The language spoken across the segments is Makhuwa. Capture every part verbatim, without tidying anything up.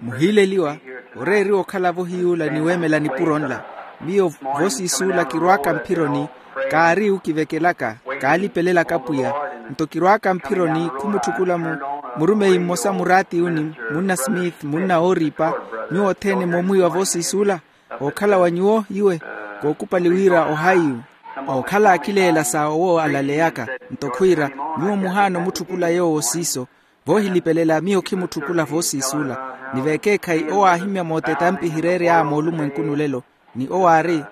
Muhiileliwa, oreeriwa okhala-vo hiy'ula ni weemela nipuro nla. Miyo voosiisuula kirwaaka mphironi, kaari okivekelaka, kaalipelelaka pwiya. Nto kirwaaka mphironi khumutthukulamo, murumeyi mmosa muraatiyuni, munna smith, munna ooriipa, nyuwo othene moomwiiwa voosiisuula. Ookhala wa nyuwo iwe, kookupali wira ohaiyu. Ookhala akileela sa owo alaleyaka. Nto khwiira, nyuwo muhaana omutthukula yoowo siiso. Voohilipelela miyo khimutthukula voosiisuula. Ni veekeekhayi owo aahimya mootetampi ehireery'aya moolumwenkuni olelo. Ni owo aari,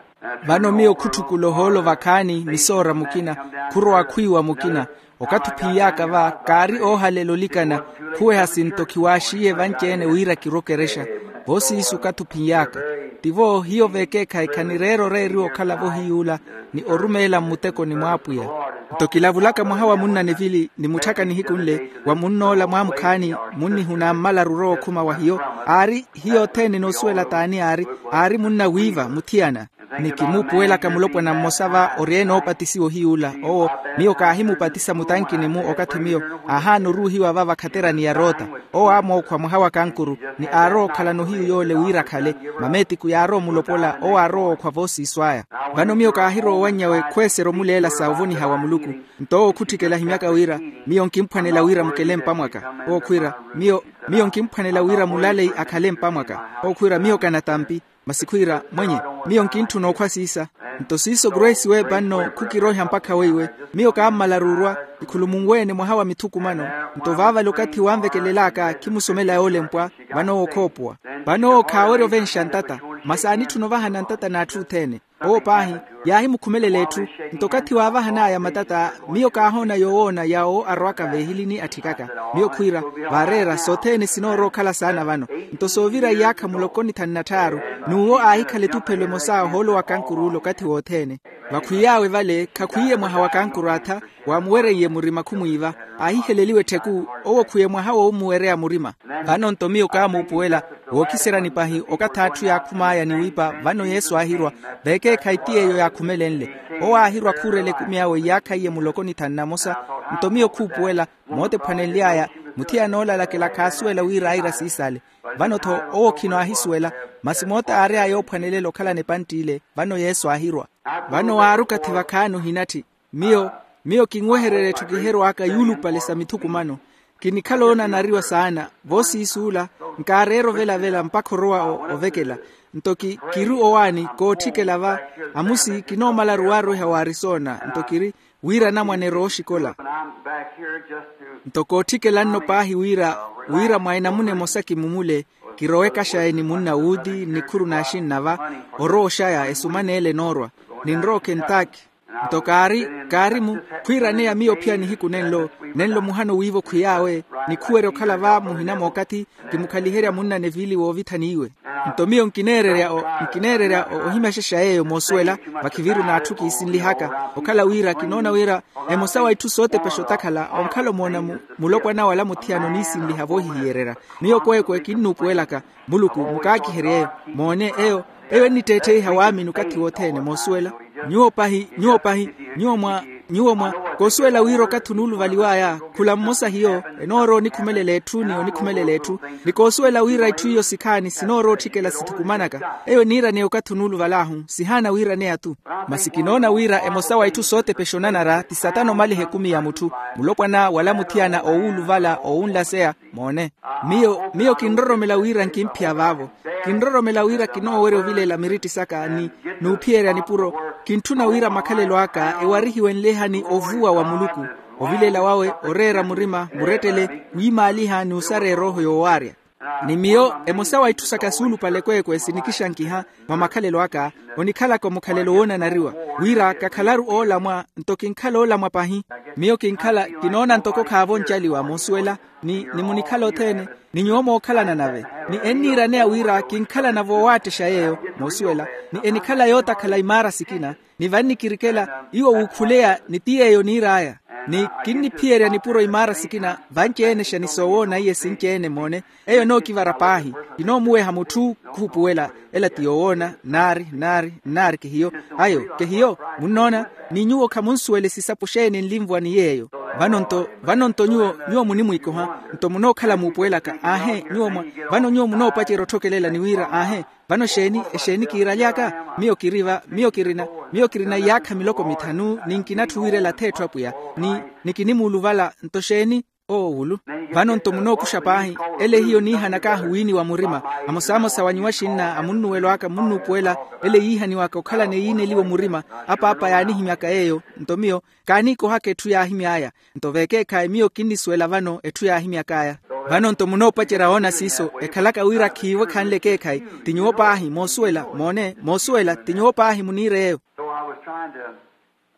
vano miyo khutthukula ohoolo vakhaani misoora mukina, khurowa khwiiwa mukina. Okathi ophiiy'aka va kaari oohalela olikana, khuweha sinto khiwaaxiye vanci-ene wira kirwe okerexa. Voosiisu okathi ophiiy'aka. Tivo hiyo veekeekhayi khanireera oreeriwa okhala-vo hiy'ula, ni orumeela mmutekoni mw'apwiya. Nto kilavulaka mwaha wa munna nivili ni mutthaka nihiku nle, wa munn'ola mwaamukhaani, munnihuna mmalaru orowa okhuma wa hiyo. Aari hiyo othene enoosuwela t'ani aari. Aari munna wiiva muthiyana. Ni kimuupuwelaka mulopwana mmosa va ori ene oopatisiwa ohiy'ula owo. Miyo kaahimupatisa mutankini-mu okathi miyo aahaana oruuhiwa va vakhaterani ya roota. Owo aamookhwa mwaha wa kankuru, ni aarowa okhalana ohiyu yoole wira akhale. Mameetiku yaarowa omulopola owo aarowa ookhwa voosiiso aya. Vano miyo kaahirowa owanny'awe khweesera omuleela sa ovoniha wa muluku. Nto owo khutthikela ahimyaka wira, miyo nkimphwanela wira mukele mpamwaka. Owo khwiira, miyo miyo nkimphwanela wira mulaleyi akhale mpamwaka. Owo khwiira miyo kanatampi. Masi khwiira, mwenye, miyo nkintthuna okhwa siisa. Nto siiso grace we panno khukiroiha mpakha weiwe. Miyo kaammalaru orwa, ikhulumunwe-ene mwaha wa mithukumano. Nto vaavale okathi wanvekelel'aka khimusomela yoolempwa. Vano owo khoopowa. Vano owo khaawerya ovenxa ntata. Masi aanitthuna ovahana ntata n'atthu othene. Owo paahi, yaahimukhumelela etthu. Nto okathi waavahan'aya matata, miyo kaahoona yoowoona yaawo arwaka veehilini atthikaka. Miyo khwiira, vaareera sothene sinoorowa okhala saana vano. Nto soovira iyaakha muloko ni thanu na tthaaru, n'uwo aahikhala etuphelo emosa ohoolo wa kankuruula okathi wothene. Vakhwiy'awe vale khakhwiiye mwaha wa kankuru atha, waamuwereiye murima khumwiiva. Aahiheleliwa ettheku, owo khwiye mwaha woomuwereya murima. Vano nto miyo kaamuupuwela, wookhiseryani pahi okathi atthu yaakhum'aya ni wiipa vano yesu aahirwa. Veekeekhayi ti yeeyo yaakhumelenle. Owo aahirwa khuurela ekumi awe iyaakha iye muloko ni thanu na mosa. Nto miyo khuupuwela, mootephwanenly'aya, muthiyana olalakela khaasuwela wira aira siisale. Vano-tho owo khino aahisuwela, masi moota aary'aya oophwanelela okhalana epantti ile. Vano yesu aahirwa. Vano waari okathi vakhaani ohinatthi. Miyo, miyo kinwehererya etthu kiherw'aka yuulupale sa mithukumano. Kinikhala oonanariwa saana, voosiisuula, nkaareera ovelavela mpakha orowa ovekela. Nto ki kiri owaani kootthikela va, amusi kinoomalaru waarweha wa arisona nto kiri, wira anamwane erooxikola. Nto kootthikela nno paahi wira, wira mwa enamuna emosa kimumule, kirowe ekaxaye ni munna wuuti nnikhuru n'axinna va, orowa oxaya esumaneele enoorwa, ninrowa okhentaki. Nto kaari, kaari-mu, khwiiraneya miyo ophiya nihiku nenlo, nenlo muhana owiiva okhwiy'awe, nikhuwerya okhala va muhina mookathi, kimukhaliherya munna nevili woovithani iwe. Nto miyo nkineererya ohimyaxexa yeeyo moosuwela, vakhiviru n'atthu kiisinlihaka. Okhala wira kinoona wira, emosa wa itthu sootepexa otakhala onkhala omoona mulopwana wala muthiyana oniisinliha voohihiyererya. Miyo kweekwe kinnuupuwelaka, muluku mukaakiherye eyo. Moone eyo, eyo ennitteettheiha waamini okathi wothene moosuwela. Nyuwo pahi, nyuwo pahi, nyuwo mwa, nyuwo mwa, koosuwela wira okathi onuuluvaliw'aya khula mmosa hiyo, enoorowa onikhumelela etthu ni onikhumelela etthu. Ni koosuwela wira itthu iyo sikhaani sinoorowa otthikela sithukumanaka. Eyo eniiraneya okathi onuuluval'ahu sihaana wiiraneya-tu. Masi kinoona wira emosa wa itthu sootepexa onanara ti satana omaliha ekumi ya mutthu, mulopwana wala muthiyana oowuluvala oowunlaseya. Moone, miyo, miyo kinroromela wira nkimphiya vaavo. Kinroromela wira kinoowerya ovilela miritti saka ni, n'uphiyerya nipuro. Kintthuna wira makhalelo aka ewarihiwe nleha ni ovuwa wa muluku. Ovilela wawe oreera murima murettele, wiimaaliha ni osareya erooho yoowaarya. Ni miyo emosa wa itthu saka suulupale kweekwe sinikixankiha mwa makhalelo aka, onikhalaka omukhalelo woonanariwa, wira kakhalaru oolamwa, nto kinkhala oolamwa pahi. Miyo kinkhala kinoona ntoko khaavo oncaliwa moosuwela, ni nimunikhala othene, ni nyuwo mookhalana nave, ni enniiraneya wira kinkhalana voowaattexya yeeyo moosuwela, ni enikhala yootakhala imaara sikina, ni vannikirikela iwo wuukhuleya ni ti yeeyo oniir'aya. Ni kinniphiyerya nipuro imaara sikina vanci-enexa ni soowoona iye sinci-ene moone. Eyo enookivara paahi, kinoomuweha mutthu khuupuwela, ela ti yoowoona naari naari naari kehiyo. Ayo kehiyo munnoona, ni nyuwo khamunsuwele sisapo xeeni nlinvwa ni yeeyo. Vano nto vano nto nyuwo nyuwo munimwiikoha. Nto munookhala muupuwelaka aahe nyuwo mwa vano nyuwo munoopacerya otthokelela ni wira aahe vano exeeni exeeni kiiraly'aka? Miyo kiri va miyo kirina miyo kirina iyaakha miloko mithanu ni nkinatthu wiirela atheetthu apwiya ni ni kinimuuluvala nto exeeni? Oowulu. Vano nto munookuxa paahi ele hiyo niihanakaahu wiiniwa murima amosamosa wa nyuwo axinna a munnuwelo aka munnuupuwela ele yiihaniwaka okhalana eyiineliwa omurima apaapa yaanihimyaka yeeyo nto miyo kaaniikohaka etthu yaahimy'aya nto veekeekhayi miyo kinnisuwela vano etthu yaahimyak'aya. Vano nto munoopacerya woona siiso ekhalaka wira khiivo ekhanle ekeekhayi ti nyuwo paahi moosuwela moone moosuwela ti nyuwo paahi muniir'eyo.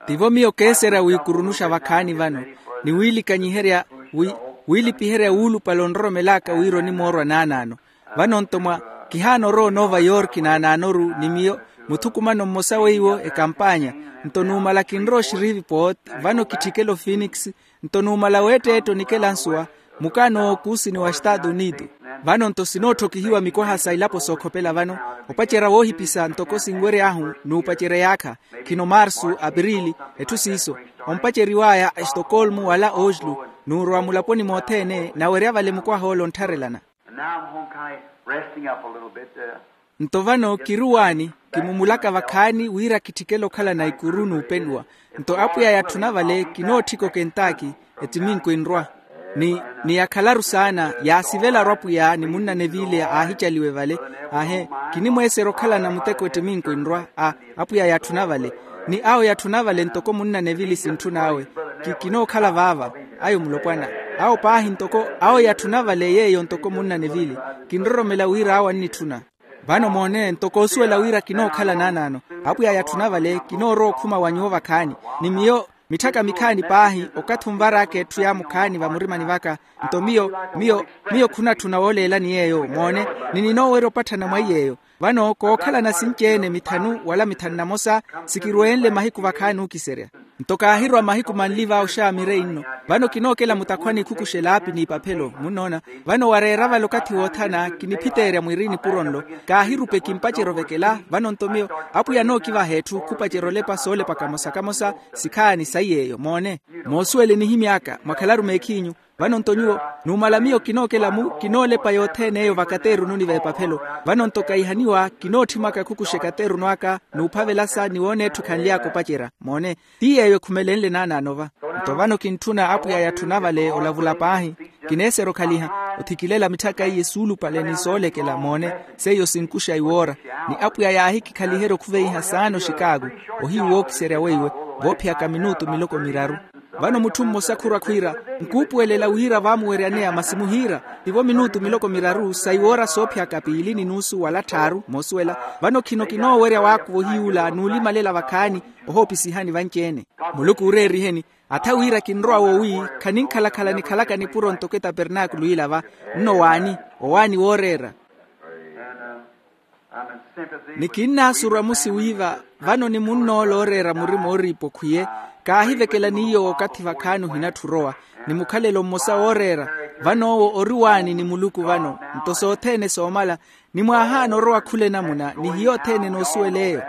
Tivo miyo keeserya wiikurunuxa vakhaani vano ni wiilikanyiherya wi wiilipiherya wuulupale onroromel'aka wira onimoorwa naanaano. Vano nto mwa kihaana orowa onova yorki naanaanoru ni miyo muthukumano mmosa weiwo ekampaanya nto numala kinrowa oxirivi pooti vano kitthikela ofinikisi nto numala weetteetta onikela nsuwa mukaano w'okuusini wa estatu unitu. Vano nto sinootthokihiwa mikwaha sa ilapo sookhopela vano opacerya woohipisa ntoko sinweryahu n'upacerya yaakha khino marsu apirili etthu siiso ompaceriw'aya estokolmu wala oslu n'urowa mulaponi mothene nawerya vale mukwaha ole onttharelana. Nto vano kiri owaani kimumulaka vakhaani wira kitthikela okhalana ikuru n'upenuwa nto apwiya yatthuna vale kinootthika okentaki ettiminko enrwa ni ni yakhalaru saana yaasivelaru apwiya ni munnanevile aahicaliwe vale. Aahe kinimweeserya okhalana muteko ettiminko enrwa a apwiya yatthuna vale ni awo yatthuna vale ntoko munnanevile sintthun'awe. Kinookhala vaava ayo mulopwana awo paahi ntoko awo yatthuna vale yeeyo ntoko munnanevile kinroromela wira awo annitthuna. Vano moone ntoko osuwela wira kinookhala naanaano apwiya yatthuna vale kinoorowa okhuma wa nyuwo vakhaani ni miyo mitthaka mikhaani paahi okathi onvar'aka etthu yaamukhaani vamurimani vaka. Nto miyo miyo miyo khunatthuna wooleelani yeeyo moone ni ninoowerya opatthana mwa iy'eyo. Vano kookhalana sinci-ene mithanu wala mithanu na mosa sikirweenle mahiku vakhaani ookiserya. Nto kaahirowa mahiku manli va oxaamire inno vano kinookela mutakhwani ikhukuxelaapi n'ipaphelo munnoona. Vano wareera vale okathi woothana kiniphiteerya mwiri nipuro nlo kaahirupe kimpacerya ovekela vano nto miyo apwiya anookivaha etthu khupacerya olepa soolepa kamosa kamosa sikhaani saiy'eyo moone. Moosuwele nihimy'aka mwakhalaru meekhiinyu. Vano nto nyuwo numala miyo kinookela-mu kinoolepa yothene eyo vakateerununi v'epaphelo. Vano nto kaihaniwa kinootthimaka khukuxa ekateeruno aka n'uphavelasa ni wooneetthi okhanly'aka opacerya moone. Ti yeeyo ekhumelenle naanaano va. Nto vano kintthuna apwiya yatthuna vale olavula paahi kineeserya okhaliha othikilela mitthaka iye suulupale ni soolekela moone. Seiyo sinkuxa iwoora ni apwiya yaahikikhaliherya okhuveiha saana oxikaaku ohiyu wookiserya weiwe voophiyaka minutu miloko miraru. Vano mutthu mmosa khurwa khwiira nkuupuwelela wira vaamuweryaneya masi muhiira tivo minutu miloko miraru sa iwoora soophiyaka piili ni nuusu wala tthaaru moosuwela. Vano khino kinoowerya waakuva ohiyuula n'ulimalela vakhaani ohoopisihani vanci-ene. Muluku ooreeriheni atha wira kinrowa woowi khaninkhalakhala nikhalaka nipuro ntoko etapernaakulu ila va. Nno waani owaani wooreera. Ni kinnaasurwa musi wiiva vano ni munn'ola ooreera murima ooriipa okhwiye kaahivekela n'iyo okathi vakhaani ohinatthu orowa ni mukhalelo mmosa wooreera. Vano owo ori waani ni muluku vano nto sothene soomala ni mwaahaana orowa khula enamuna ni hiyo othene enoosuwela eyo.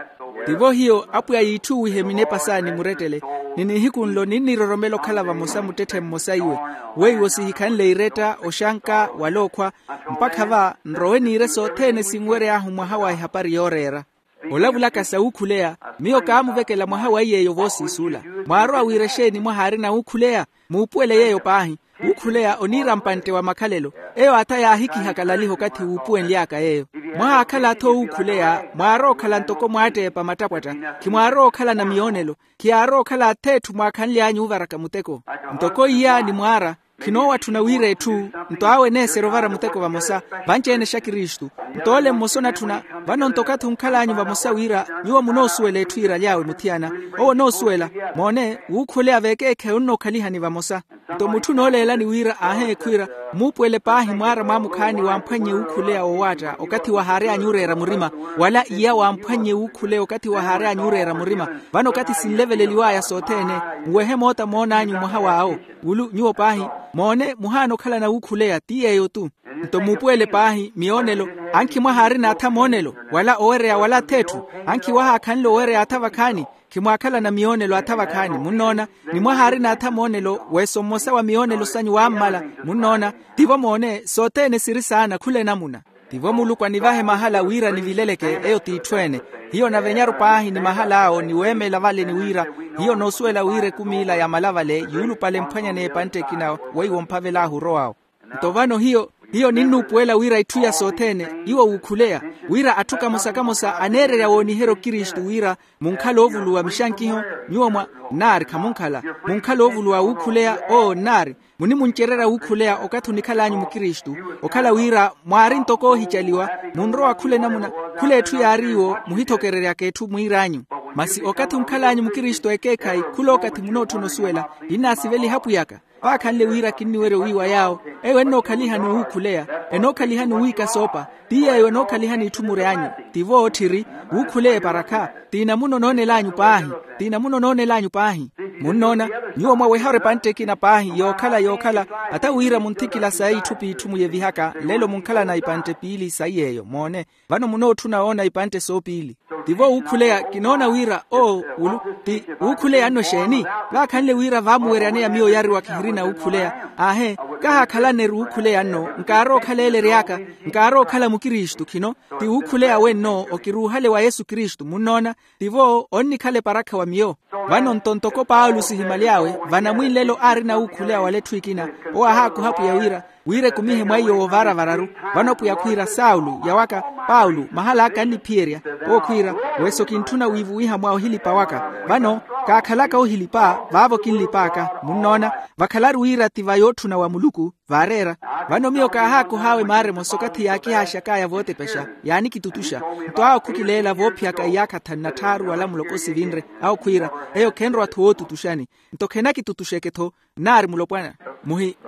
Tivo hiyo apwiya yiitthuwihe minepa saani murettele ni nihiku nlo ninniroromela okhala vamosa muttetthe mmosa iwe weiwo sihikhanle iretta oxanka wala okhwa mpakha va nrowe niire sothene sinwery'ahu mwaha wa ehapari yooreera. Olavulaka sa wuukhuleya miyo kaamuvekela mwaha wa iy'eyo voosiisuula. Mwaarowa wira exeeni mwahaarina wuukhuleya? Muupuwele yeeyo paahi. Wuukhuleya oniira mpantte wa makhalelo. Eyo atha yaahikihaka laliha okathi wuupuwenly'aka yeeyo. Mwahaakhala atha owuukhuleya mwaarowa okhala ntoko mwaatteepa mattapwatta. Khimwaarowa okhalana miyoonelo. Khiyaarowa okhala atheetthu mwaakhanly'anyu ovaraka muteko. Ntoko iya ni mwaara khinoowatthuna wira etthu nto awo eneeserya ovara muteko vamosa. Vanci-ene xa kristu. Nto ole mmosa onatthuna vano nto okathi onkhal'anyu vamosa wira nyuwo munoosuwela etthu yiiraly'awe muthiyana. Owo onoosuwela moone wuukhuleya veekeekhayi onnookhalihani vamosa. Nto mutthu onooleelani wira aaheekhwira mmuupuwele paahi mwaara mwaamukhaani wamphwannye wuukhuleya woowaatta okathi wahaary'anyu oreera murima wala iya wamphwannye wuukhuleya okathi wahaary'anyu oreera murima. Vano okathi sinleveleliw'aya sothene nwehe moota moon'anyu mwaha w'awo wulu nyuwo paahi Moone muhaana okhalana wuukhuleya ti yeeyo-tu. Nto muupuwele paahi miyoonelo, ankhi mwaha aarina atha moonelo wala owereya wala atha etthu, ankhi wahaakhanle owereya atha vakhaani. Khimwaakhalana miyoonelo atha vakhaani munnoona. Ni mwaha aarina atha moonelo weeso mmosa wa miyoonelo sanyu waammala. Munnoona? Tivo moone sothene siri saana khula enamuna. Tivo muluku anivahe mahala wira nivileleke. Eyo t'itthu ene. Hiyo navenyaru paahi ni mahal'awo ni weemela vale ni wira hiyo noosuwela wira ekumi ila yamala vale yuulupale emphwanyaneya epantte ekina weiwo mphavel'ahu orow'awo. Nto vano hiyo hiyo ninnuupuwela wira itthu iya sothene iwo wuukhuleya wira atthu kamosa-kamosa aneererya wooniherya okristu wira munkhale oovuluwa mixankiho. Nyuwo mwa nnaari khamunkhala munkhale oovuluwa wuukhuleya oo nnaari munimuncererya wuukhuleya okathi onikhal'anyu mukristu okhala wira mwaari ntoko oohicaliwa munrowa khula enamuna khula etthu yaariiwo muhithokereryaka etthu mwiir'anyu. Masi okathi onkhal'anyu mukristu ekeekhayi khul'okathi munootthuna osuwela kinnaasiveliha apwiy'aka vaakhanle wira kinniwerya owiiwa yaawo eyo ennookhaliha n'uwuukhuleya enookhalihani owiika soopa ti yeeyo enookhalihani itthu mury'anyu tivo ootthiri wuukhuleya eparakha ti namuna onoonel'anyu paahi ti namuna onoonel'anyu paahi munnoona nyuwo mwaweharu epantte ekina paahi yookhala yookhala ata wira munthikila sayi itthu p'itthu muyevihaka lelo munkhalana ipantte piili sayi yeeyo moone vano munootthuna woona ipantte soopiili tivo wuukhuleya kinoona wira oo wulu ti wuukhuleya nno exeeni vaakhanle wira vaamuweryaneya miyo oyariwa khihirina wuukhuleya aahe kahaakhalanneru wuukhuleya nno nkaarowa okhaleelery'aka nkaarowa okhala mukristu khino ti wuukhuleya wenno okiruuhale wa yesu kristu munnoona tivo onnikhala eparakha wa miyo vano nto ntoko paulo sihimaly'awe vanamwinlelo aarina wuukhuleya wala etthu ekina owo aahaakuha apwiya wira wira ekumihe mwaiyo woovaaravararu vano apwiya khwiira saulo yawaka paulo mahal'aka anniphiyerya owo khwiira weso kintthuna wiivuwiha mwa ohilipa waka vano kaakhalaka ohilipa vaavo kinlip'aka munnoona vakhalaru wira ti va yootthuna wa muluku vaareera vano miyo kaahaakuh'awe maaremo sokathi yaakihaaxak'aya vootepexa yaanikitutuxa nto awo khukileela voophiyaka iyaakha thanu na tthaaru wala muloko sivinre awo khwiira eyo khenrowa-tho wootutuxani nto khenakitutuxeke-tho nnaari mulopwana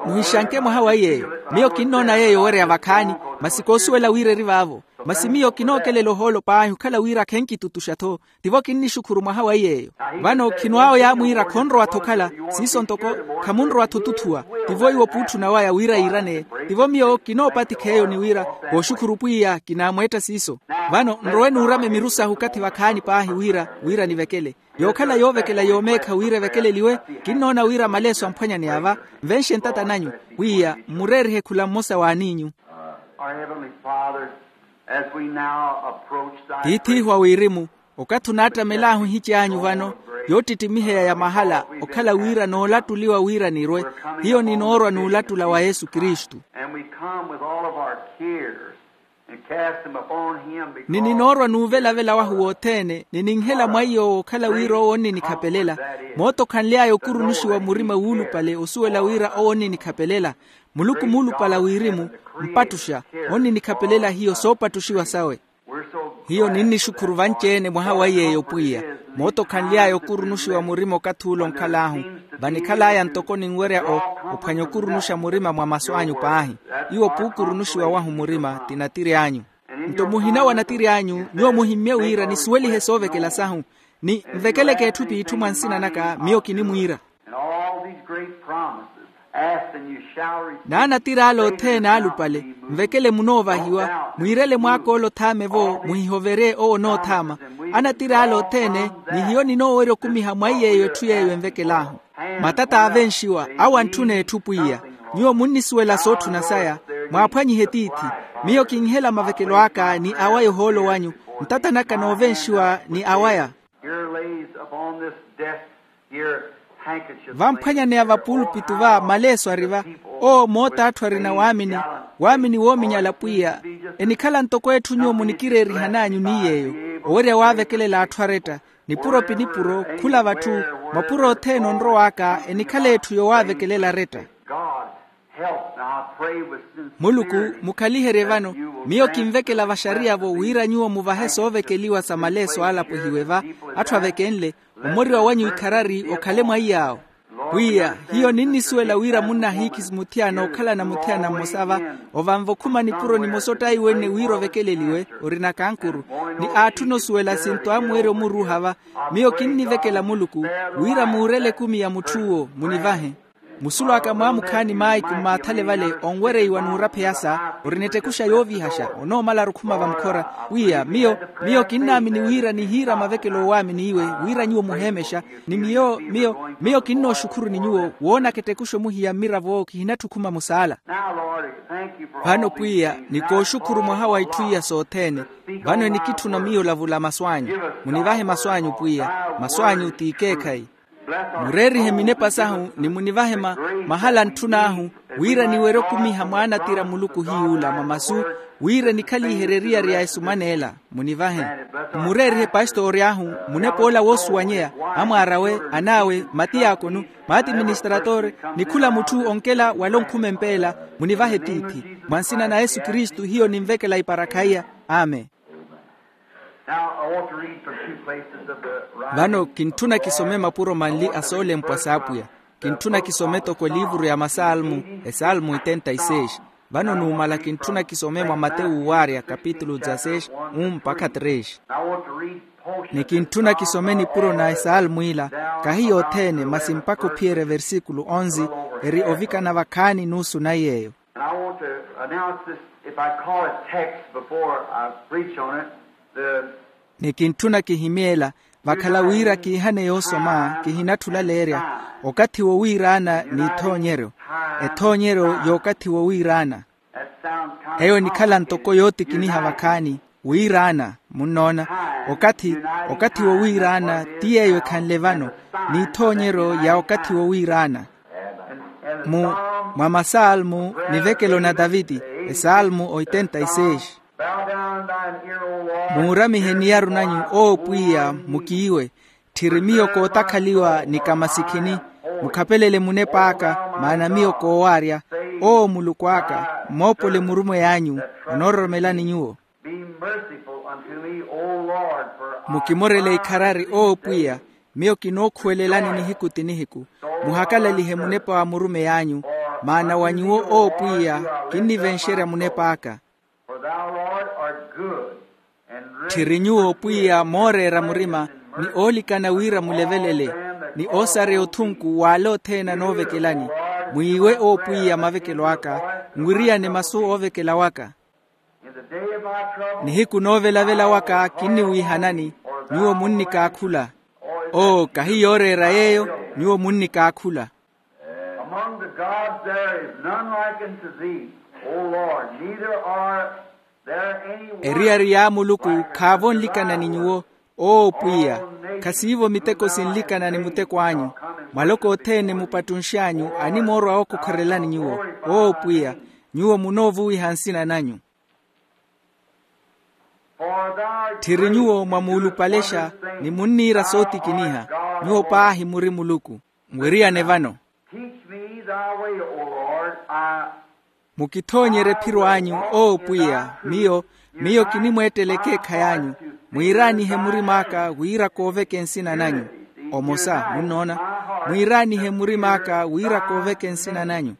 muhixanke mwaha wa yeeyo miyo kinnoona yeeyo owereya vakhaani masi koosuwela wira eri vaavo masi miyo kinookelela ohoolo paahi okhala wira khenkitutuxa-tho tivo kinnixukhuru mwaha wa yeeyo vano khino awo yaamwiira khonrowa-tho okhala siiso ntoko khamunrowa-tho otuthuwa tivo iwo puutthuna waya wira yiiraneye tivo miyo kinoopatikha eyo ni wira kooxukhuru pwiya kinaamweetta siiso vano nrowe nuurame miru sahu okathi vakhaani paahi wira wira nivekele yookhala yoovekela yoomeekha wira evekeleliwe kinnoona wira maleeso amphwanyaneya va nvenxe ntata nanyu pwiya mmureerihe khula mmosa w'aniinyu tiith'ihu a wirimu okathi onaattamel'ahu ohici anyu vano yoottittimiheya ya mahala okhala wira noolattuliwa wira nirwe hiyo ninoorwa n'ulattula wa yesu kristu ni ninoorwa n'uvelavela wahu wothene ni ninhela mwaiyo wookhala wira owo onninikhapelela mootokhanly'aya okurunuxiwa murima wuulupale osuwela wira owo onninikhapelela muluku muulupale a wirimu mpattuxa onninikhapelela hiyo soopattuxiwa sawe hiyo ninnixukhuru vanci-ene mwaha wa yeeyo pwiya mootokhanly'aya okurunuxiwa murima okathi ule onkhal'ahu vanikhal'aya ntoko ninwerya ophwanya okurunuxa murima mwa masu anyu paahi iwo puukurunuxiwa wahu murima ti natiri anyu nto muhina wa natiri anyu nyuwo muhimmye wira nisuwelihe soovekela sahu ni nvekeleke etthu p'itthu mwa nsina naka miyo kinimwiira naanatiri ale othene aalupale nvekele munoovahiwa mwiirele mwaak'ole othaame-vo muhihoverye owo onoothaama anatiri ale othene ni hiyo ninoowerya okumiha mwaiy'eyo etthu yeeyo envekel'ahu matata aavenxiwa awo antthuna etthu pwiya nyuwo munnisuwela sootthuna saya mwaaphwanyihe tiithi miyo kinhela mavekelo aka ni awaya ohoolo wanyu ntata naka noovenxiwa ni awaya vamphwanyaneya va pulpitu va maleeso ari va owo moota atthu arina waamini waamini woominyala pwiya enikhala ntoko etthu nyuwo munikireerihan'anyu ni yeeyo owerya waavekelela atthu aretta nipuro pi nipuro khula vatthu mapuro othene onrow'aka enikhala etthu yowaavekelela aretta muluku mukhaliherye vano miyo kinvekela vaxariya-vo wira nyuwo muvahe soovekeliwa sa maleeso aalapwehiwe va atthu avekenle omoriwa wanyu ikharari okhale mwaiy'awo pwiya hiyo ninnisuwela wira munnahiikhi muthiyana okhalana muthiyana mmosa va ovanva okhuma nipuro nimosa ottaiwene wira ovekeleliwe orina kankuru ni aatthuna osuwela sinto amuwerya omuruuha va miyo kinnivekela muluku wira muurele ekumi ya mutth'uwo munivahe Musulwaka mwaamukhaani maayiku mmaathale vale onwereiwa n'urapheyasa, ori n'ettekuxa yoovihaxa onoomala arukhuma vamkhora. Pwiya miyo miyo kinnaamini wira nihiira mavekelo oowaamini iwe, wira nyuwo muheemexa. Ni miyo miyo miyo kinnooxukhuruni nyuwo woonaka ettekuxa omuhiya mmiravo kihinatthi okhuma musaala. Vano pwiya nikooxukhuru mwaha wa itthu iya sothene. Vano enikitthuna miyo olavula masu anyu. Munivahe masu anyu pwiya. Masu anyu ti ikeekhayi. Mureerihe minepa sahu ni munivahe mahala antthun'ahu, wira niwerye okumiha mwaanatira muluku hiy'ula mwa masu, wira enikhaliherye eriyari ya esumaneela. Munivahe. Mmureerihe pastori ahu munep'ola woosuwanyeya, amwaar'awe, an'awe, matiyaakonu, matiministratore, ni khula mutthu onkela wala onkhuma empeela. Munivahe tiithi. Mwa nsina na yesu kristu hiyo ninvekela iparakha iya. Amen. Now I want to read from two places of the writing. Vano kintthuna kisome mapuro manli a soolempwa s'apwiya. Kintthuna kisome toko eliivuru ya masalmu, esalmu oitenta y seis. Vano numala kintthuna kisome mwa matewu waarya kapitulu dezasseis, um mpakha tres. I want to read portions. Ni kintthuna kisome nipuro na esalmu ila, kahi yothene masi mpakha ophiyerya versíkulu onzi. Eri ovikana vakhaani nuusu na yeeyo. And I want to announce this, if I call a text before I preach on it, the. Ni kintthuna kihimy'ela vakhala wira kiihane yoosoma kihinatthi olaleerya. Okathi wowiiraana n'ithoonyeryo. Ethoonyeryo y'okathi wowiiraana. Eyo enikhala ntoko yootikiniha vakhaani. Wiiraana, munnoona? Okathi okathi wowiiraana ti yeeyo ekhanle vano, n'ithoonyeryo ya okathi wowiiraana. Mu mwa masalmu nivekelo na taviti, esalmu oitenta y seis. Muuramihe eniyaru nanyu owo pwiya, mukiiwe. Tthiri miyo kootakhaliwa ni kamasikhini. Mukhapelele munep'aka, maana miyo koowaarya. Owo muluku aka, mmoopole murumweyi anyu, onoororomelani nyuwo. Be merciful unto me, O Lord, for I. Mukimorele ikharari owo pwiya, miyo kinookhuwelelani nihiku ti nihiku. Muhakalalihe munepa wa murumeyi anyu, maana wa nyuwo owo pwiya, kinnivenxerya munep'aka. For thou, Lord, art good. Tthiri nyuwo pwiya mooreera murima, ni oolikana wira mulevelele, ni oosareya othunku w'ale othene anoovekelani. Mwiiwe owo pwiya mavekelo aka, nwiriyane masu oovekela waka. Nihiku noovelavela waka kinniwiihanani. Nyuwo munnikaakhula. Oo kahi yooreera yeeyo, nyuwo munnikaakhula. Among the gods there is none like unto thee, O Lord, neither are there any one. Eriyari y'amuluku khaavo nlikana ni nyuwo. Oo pwiya, khasiivo miteko sinlikana ni muteko anyu. Maloko othene mupattunx'anyu animoorwa ookokhorelani nyuwo. Oo pwiya, nyuwo munoovuwiha nsina nanyu. Tthiri nyuwo mwamuulupalexa, ni munniira sootikiniha. Nyuwo paahi muri muluku. Mwiriyane vano. Mukithoonyerye ephiro anyu, oo pwiya, miyo miyo kinimweettela ekeekhayi anyu. Mwiiraanihe murim'aka wira kooveke nsina nanyu. Omosa munnoona? Mwiiraanihe murim'aka wira kooveke nsina nanyu.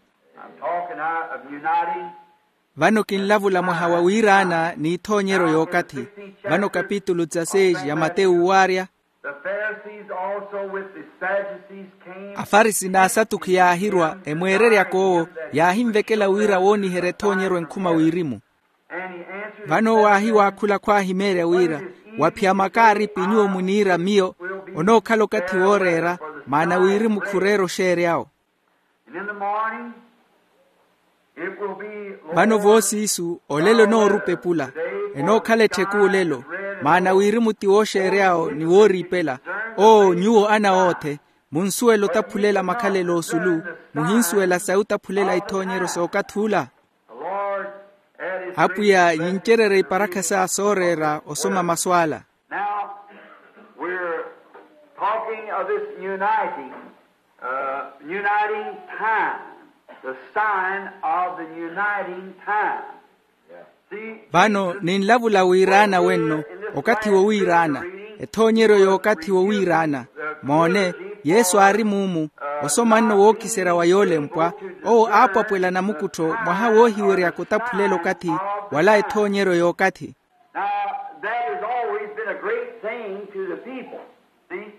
Vano kinlavula mwaha wa wiiraana n'ithoonyeryo y'okathi. Vano kapitulu dezasseis ya mateyu waarya. Afarisi n'asatukhi yaahirwa emweereryaka owo, yaahinvekela wira wooniherya ethoonyeryo enkhuma wirimu. Vano owo aahiwaakhula khwaahimeerya wira, waphiya makaaripi nyuwo muniira miyo, onookhala okathi wooreera, maana wirimu khureera oxeery'awo. Vano voosiisu olelo enoorupa epula. Enookhala ettheku olelo, maana wirimu ti wooxeery'awo ni wooriipela. Oo nyuwo ana oothe, munsuwela otaphulela makhalelo osulu, muhinsuwela sayi otaphulela ithoonyeryo s'okathi ula? Apwiya yincererya iparakha sa sooreera osoma masu ala. Now, we're talking of this uniting, uh, uniting time, the sign of the uniting time. Vano ninlavula wiiraana wenno, okathi wowiiraana, ethoonyeryo y'okathi wowiiraana. Moone, yesu aari muumu, osoma nno wookiserya wa yoolempwa, owo aapwapwela namukuttho mwaha woohiweryaka otaphulela okathi, wala ethoonyeryo y'okathi. Now, that has always been a great thing to the people. See?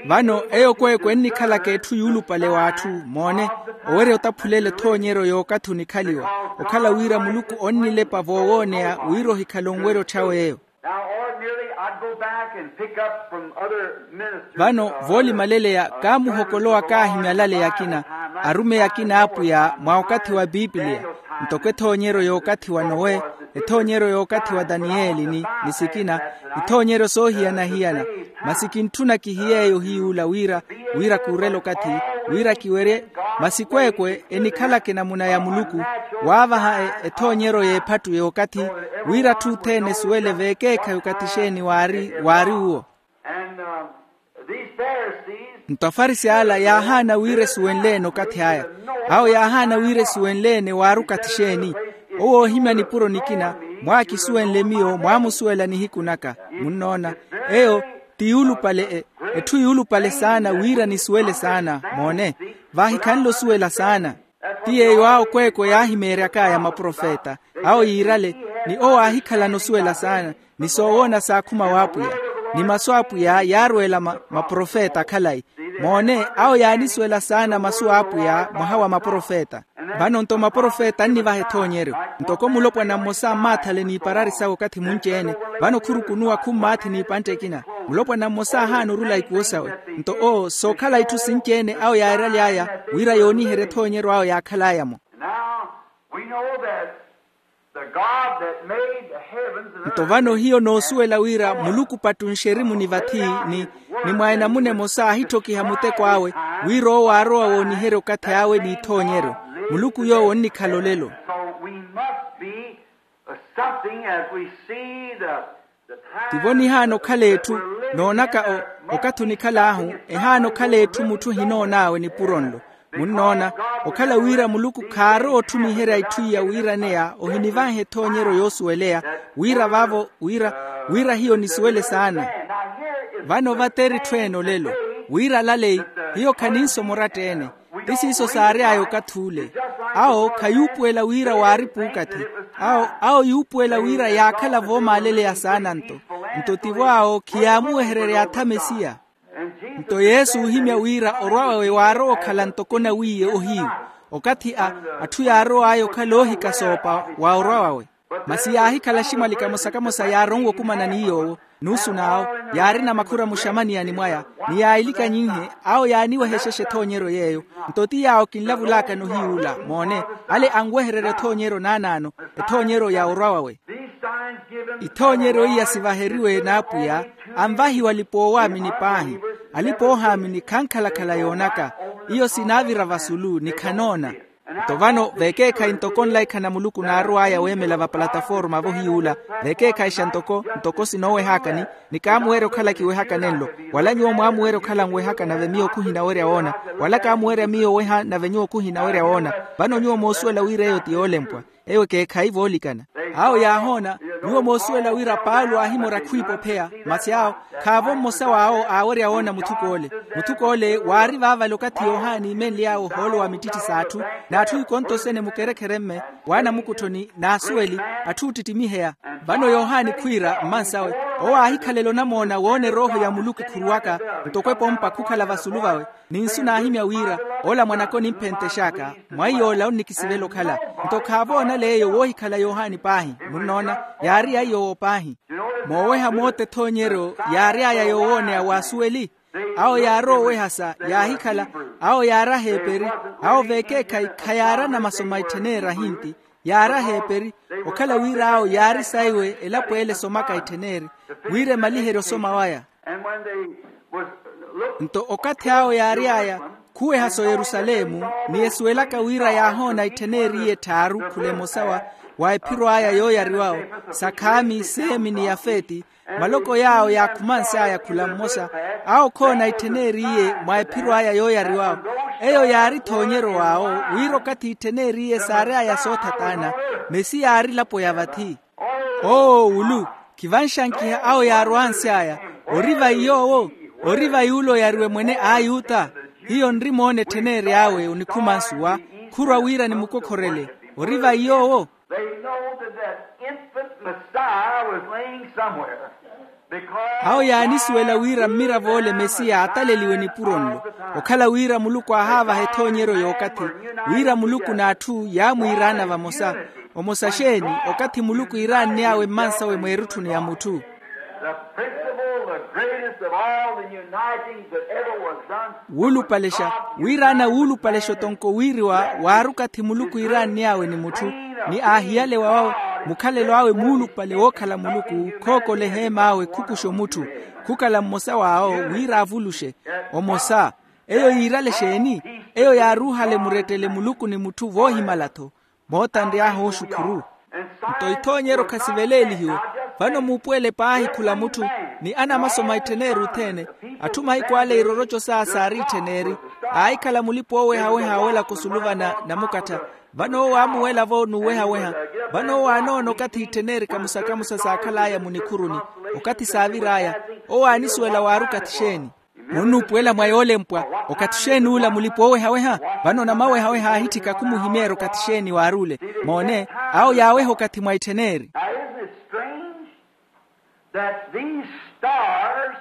Vano eyo kweekwe ennikhalaka etthu yuulupale w'atthu. Moone, owerya otaphulela ethoonyeryo y'okathi onikhaliwa, okhala wira muluku onnilepa voowooneya wira ohikhale onwerya otthyawe eyo. Now ordinarily I'd go back and pick up from other ministers. Vano voolimaleleya kaamuhokolowa kaahimyalaleya akina, arumeyi akina a apwiya mwa okathi wa pipiliya, ntoko ethoonyeryo y'okathi wa nowe, ethoonyeryo y'okathi wa taniyeli ni, ni sikina, ithoonyeryo soohiyana-hiyana. Masi kintthuna kihiy'eyo hiy'ula wira, wira kuurela okathi, wira kiwerye. Masi kweekwe enikhalaka enamuna ya muluku, waavaha e, ethoonyeryo y'ephattu y'okathi, wira atthu othene esuwele veekeekhayi okathi exeeni waari, waari uwo. And uh, these Pharisees. Nto afarisi ala yaahaana wira esuwenle-ene okathi aya. Awo yaahaana wira esuwenle-ene waari okathi exeeni. Owo oohimya nipuro nikina, mwaakisuwenle miyo mwaamusuwela nihiku naka. Munnoona, eyo ti yuulupale e, etthu yuulupale saana wira nisuwele saana. Moone, vaahikhanle osuwela saana. Ti yeeyo awo kweekwe yaahimeeryak'aya maprofeta, awo yiirale, ni owo aahikhalana osuwela saana, ni soowoona saakhuma w'apwiya, ni masu a apwiya yaarweela ma, maprofeta akhalayi. Moone, awo yaanisuwela saana masu a apwiya mwaha wa maprofeta. Vano nto maprofeta annivaha ethoonyeryo, ntoko mulopwana mmosa ammaatthale n'iparari sawe okathi munci-ene. Vano khurukunuwa khummaathi n'ipantte ekina. Mulopwana mmosa aahaana orula ikuwo sawe. Nto owo sookhala itthu sinci-ene awo yaairaly'aya, wira yooniherya ethoonyeryo awo yaakhal'aya-mo. Now we know that the God that made the heavens and earth. Nto vano hiyo noosuwela wira muluku pattunxerimu ni vathi, ni, ni mwa enamuna emosa aahittokiha muteko awe, wira owo aarowa wooniherya okathi awe n'ithoonyeryo. Muluku yoowo onnikhala olelo. So we must be something as we see the, the time. Tivo nihaana okhala etthu, noonaka o, okathi onikhal'ahu, ehaana okhala etthu mutthu ohinoon'awe nipuro nlo. Munnoona, okhala wira muluku khaarowa otthumiherya itthu iya wiiraneya ohinivanhe ethoonyeryo yoosuweleya, wira vaavo wira, wira hiyo nisuwele saana. Vano vate eri etthu ene olelo, wira alaleyi, hiyo khaninsoma oratta-ene. Ti siiso saary'aya okath'ule. Awo khayuupuwela wira waari puukathi. Awo, awo yuupuwela wira yaakhala voomaaleleya saana nto. Nto tivo awo khiyaamuwehererya atha mesiya. Nto yesu oohimya wira orwa wawe waarowa okhala ntoko nawiiye ohiyu. Okathi a, atthu yaarow'aya okhala oohikasoopa wa orwa wawe. Masi yaahikhala ximwali kamosa kamosa yaaronwe okumana ni yoowo. Nuusu n'awo, yaarina makhura muxamaniyani mwaya, ni yaayilikanyinhe, awo yaaniwehexexa ethoonyeryo yeeyo. Nto ti yaawo kinlavul'akano hiy'ula moone, ale anwehererya ethoonyeryo naanaano, ethoonyeryo ya orwa wawe. Ithoonyeryo iya sivaheriwe n'apwiya, anvahiwa alipa-oowaamini paahi. Alipa-oohaamini khankhalakhala yoonaka. Iyo sinaavira vasulu ni khanoona. Nto vano veekeekhayi ntoko nlaikhana muluku naarow'aya weemela vapalataforma-vo hiy'ula, veekeekhayixa ntoko ntoko sinoowehaakani, ni kaamuwerya okhala kiwehakane nlo. Wala nyuwo mwaamuwerya okhala nwehaka nave miyo khuhinawerya woona. Wala kaamuwerya miyo oweha nave nyuwo khuhinawerya woona. Vano nyuwo moosuwela wira eyo ti yoolempwa. Eyo ekeekhayi voolikana. Awo yaahoona, nyuwo moosuwela wira paulo aahimorya khwiipopheya. Masi awo, khaavo mmosa w'awo aawerya woona muthuk'ole. Muthuk'ole waari vaavale okathi yohani imenly'awe ohoolo wa mittitthi s'atthu, n'atthu ikonto sene mukerekhere-mme, w'anamukutthoni n'asuweli, atthu oottittimiheya. Vano yohani khwiira mmansawe, owo aahikhalela onamoona woona erooho ya muluku ekhuruwaka, ntoko epompa khukhala vasulu vawe. Ni nsu naahimya wira, ola mwanaka onimphentex'aka, mwa iy'ola onnikisivela okhala. Nto khaavoonale eyo woohikhala yohani paahi. Munnoona, yaari ya iy'owo paahi. Mooweha moota ethoonyeryo yaary'aya yoowooneya w'asuweli. Awo yaarowa owehasa yaahikhala. Awo yaari aheeperi. Awo veekeekhayi khayaarana masomo a ittheneeri ahinti. Yaari aheeperi, okhala wira awo yaari saiwe elapo ele esomaka ittheneeri, wira emaliherye osoma waya. Nto okathi awo yaary'aya, khuwehasa oyerusalemu, ni esuwelaka wira yaahoona ittheneeri iye etthaaru khula emosa wa, wa ephiro aya yooyariwawo, sa khami seemi ni yafeti, maloko yaawo yaakhumansy'aya khula mmosa. Awo khoona ittheneeri iye mwa ephiro aya yooyariwawo. Eyo yaari ethoonyeryo w'awo, wira okathi ittheneeri iye saary'aya soothataana, mesi yaari elapo ya vathi. Owo wulu, khivanxankiha awo yaarwansy'aya. Ori vayi yoowo? Ori vayi ule oyariwe mwene a ayuta? Hiyo nrimoona ettheneeri awe onikhumansuwa, khurwa wira nimukokhorele. Ori vayi yoowo? They know that that infant Messiah was laying somewhere. Awo yaanisuwela wira mmirav'ole mesiya ataleliwe nipuro nlo, okhala wira muluku aahaavaha ethoonyeryo y'okathi, wira muluku n'atthu yaamwiiraana vamosa. Omosa xeeni? Okathi muluku iiraann'awe mmansawe mweerutthuni ya mutthu. The principal, the greatest of all the unitings that ever was done. Wuulupalexa, wiiraana wuulupalexa otonko wiiriwa waari okathi muluku iiraann'awe ni mutthu, ni aahiyalewa wawe mukhalelo awe muulupale wookhala muluku khookola eheem'awe khukuxa omutthu, khukhala mmosa w'awo wira avuluxe. Omosa. Eyo yiirale xeeni? Eyo yaaruuhale murettele muluku ni mutthu voohimala-tho. Moota nry'aha oxukhuru. Nto ithoonyeryo khasiveleelihiwe. Vano muupuwele paahi khula mutthu, ni anamasoma ittheneri othene. Atthu mahiku ale iroroco saawe saariittheneri, aahikhala mulipa oowehaweha awelaka osuluvana namukattha. Vano owo aamuwela-vo n'uwehaweha. Vano owo aanoona okathi ittheneri kamusa-kamusa saakhal'aya munikhuruni, okathi saavir'aya. Owo aanisuwela waari okathi xeeni? Munnuupuwela mwa yoolempwa, okathi xeeni ula mulipa oowehaweha? Vano namawehaweha aahitthika khumuhimeerya okathi xeeni waari ule. Moone, awo yaaweha okathi mwa ittheneri. Now, isn't it strange that these stars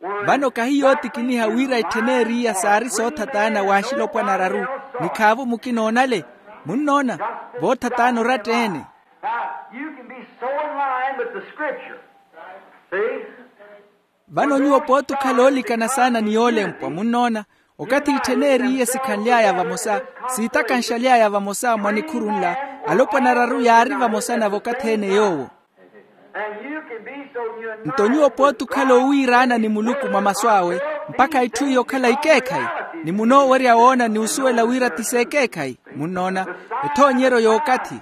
were... Vano kahi yootikiniha wira ittheneri iya saari soothataana w'axilopwana araru, ni khaavo mukina onale? Munnoona? Voothataana oratta-ene. Now, you can be so in line with the scripture. See? Vano nyuwo pooti okhala oolikana saana ni yoolempwa, munnoona? Okathi ittheneri iya sikhanly'aya vamosa, siitakanxaly'aya vamosa mwa nikhuru nla, alopwana araru yaari vamosa na v'okathi-ene yoowo. And you can be so united... Nto nyuwo pooti okhala owiiraana ni muluku mwa masu awe, mpakha itthu iyo okhala ikeekhayi, ni munoowerya woona ni osuwela wira ti s'ekeekhayi. Munnoona? Ethoonyeryo y'okathi.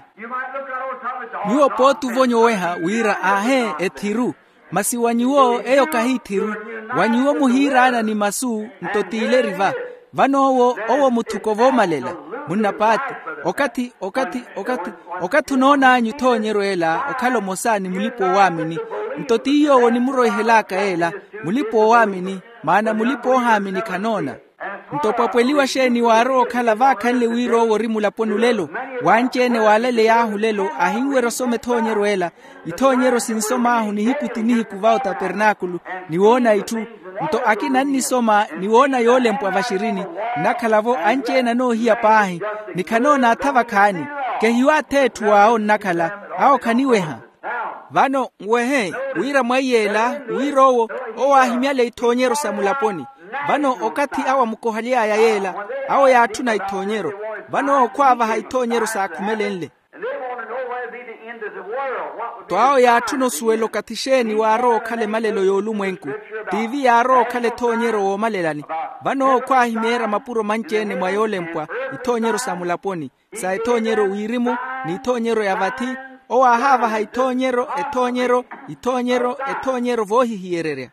Nyuwo pooti ovonya oweha wira aahee, ethiru. Masi wa nyuwo eyo kahi ethiru. Wa nyuwo muhiiraana ni masu, nto t'ile eri va. Vano owo, owo muthuko voomalela. Munnapaati. Okathi, okathi, okathi, okathi onoon'anyu ethoonyeryo ela okhala omosa ni mulipa-oowaamini. Nto ti yoowo onimuroihel'aka ela, mulipa-oowaamini. Maana mulipa-oohaamini khanoona. Nto opwapweliwa xeeni waarowa okhala vaakhanle wira owo ori mulaponi olelo? Wanci-ene waalaleya ahu olelo ahinwerya osoma ethoonyeryo ela. Ithoonyeryo sinsom'ahu nihiku ti nihiku va otapernaakulu, ni woona itthu. Nto akina annisoma ni woona yoolempwa vaxirini. Nnakhala-vo anci-ene anoohiya paahi, ni khanoona atha vakhaani. Kehiwo atha etthu awo nnakhala, awo khaniweha. Vano nwehe wira mwaiy'ela, wira owo, owo aahimyale ithoonyeryo sa mulaponi. Vano okathi awo amukohaly'aya yeela, awo yaatthuna ithoonyeryo. Vano owo khwaavaha ithoonyeryo saakhumelenle. Nto awo yaatthuna osuwela okathi xeeni waarowa okhala emalelo y'olumwenku. Tiivi yaarowa okhala ethoonyeryo woomalelani. Vano owo khwaahimeerya mapuro manci-ene mwa yoolempwa, ithoonyeryo sa mulaponi, sa ethoonyeryo wirimu, ni ithoonyeryo ya vathi. Owo aahaavaha ithoonyeryo, ethoonyeryo, ithoonyeryo, ethoonyeryo voohihiyererya.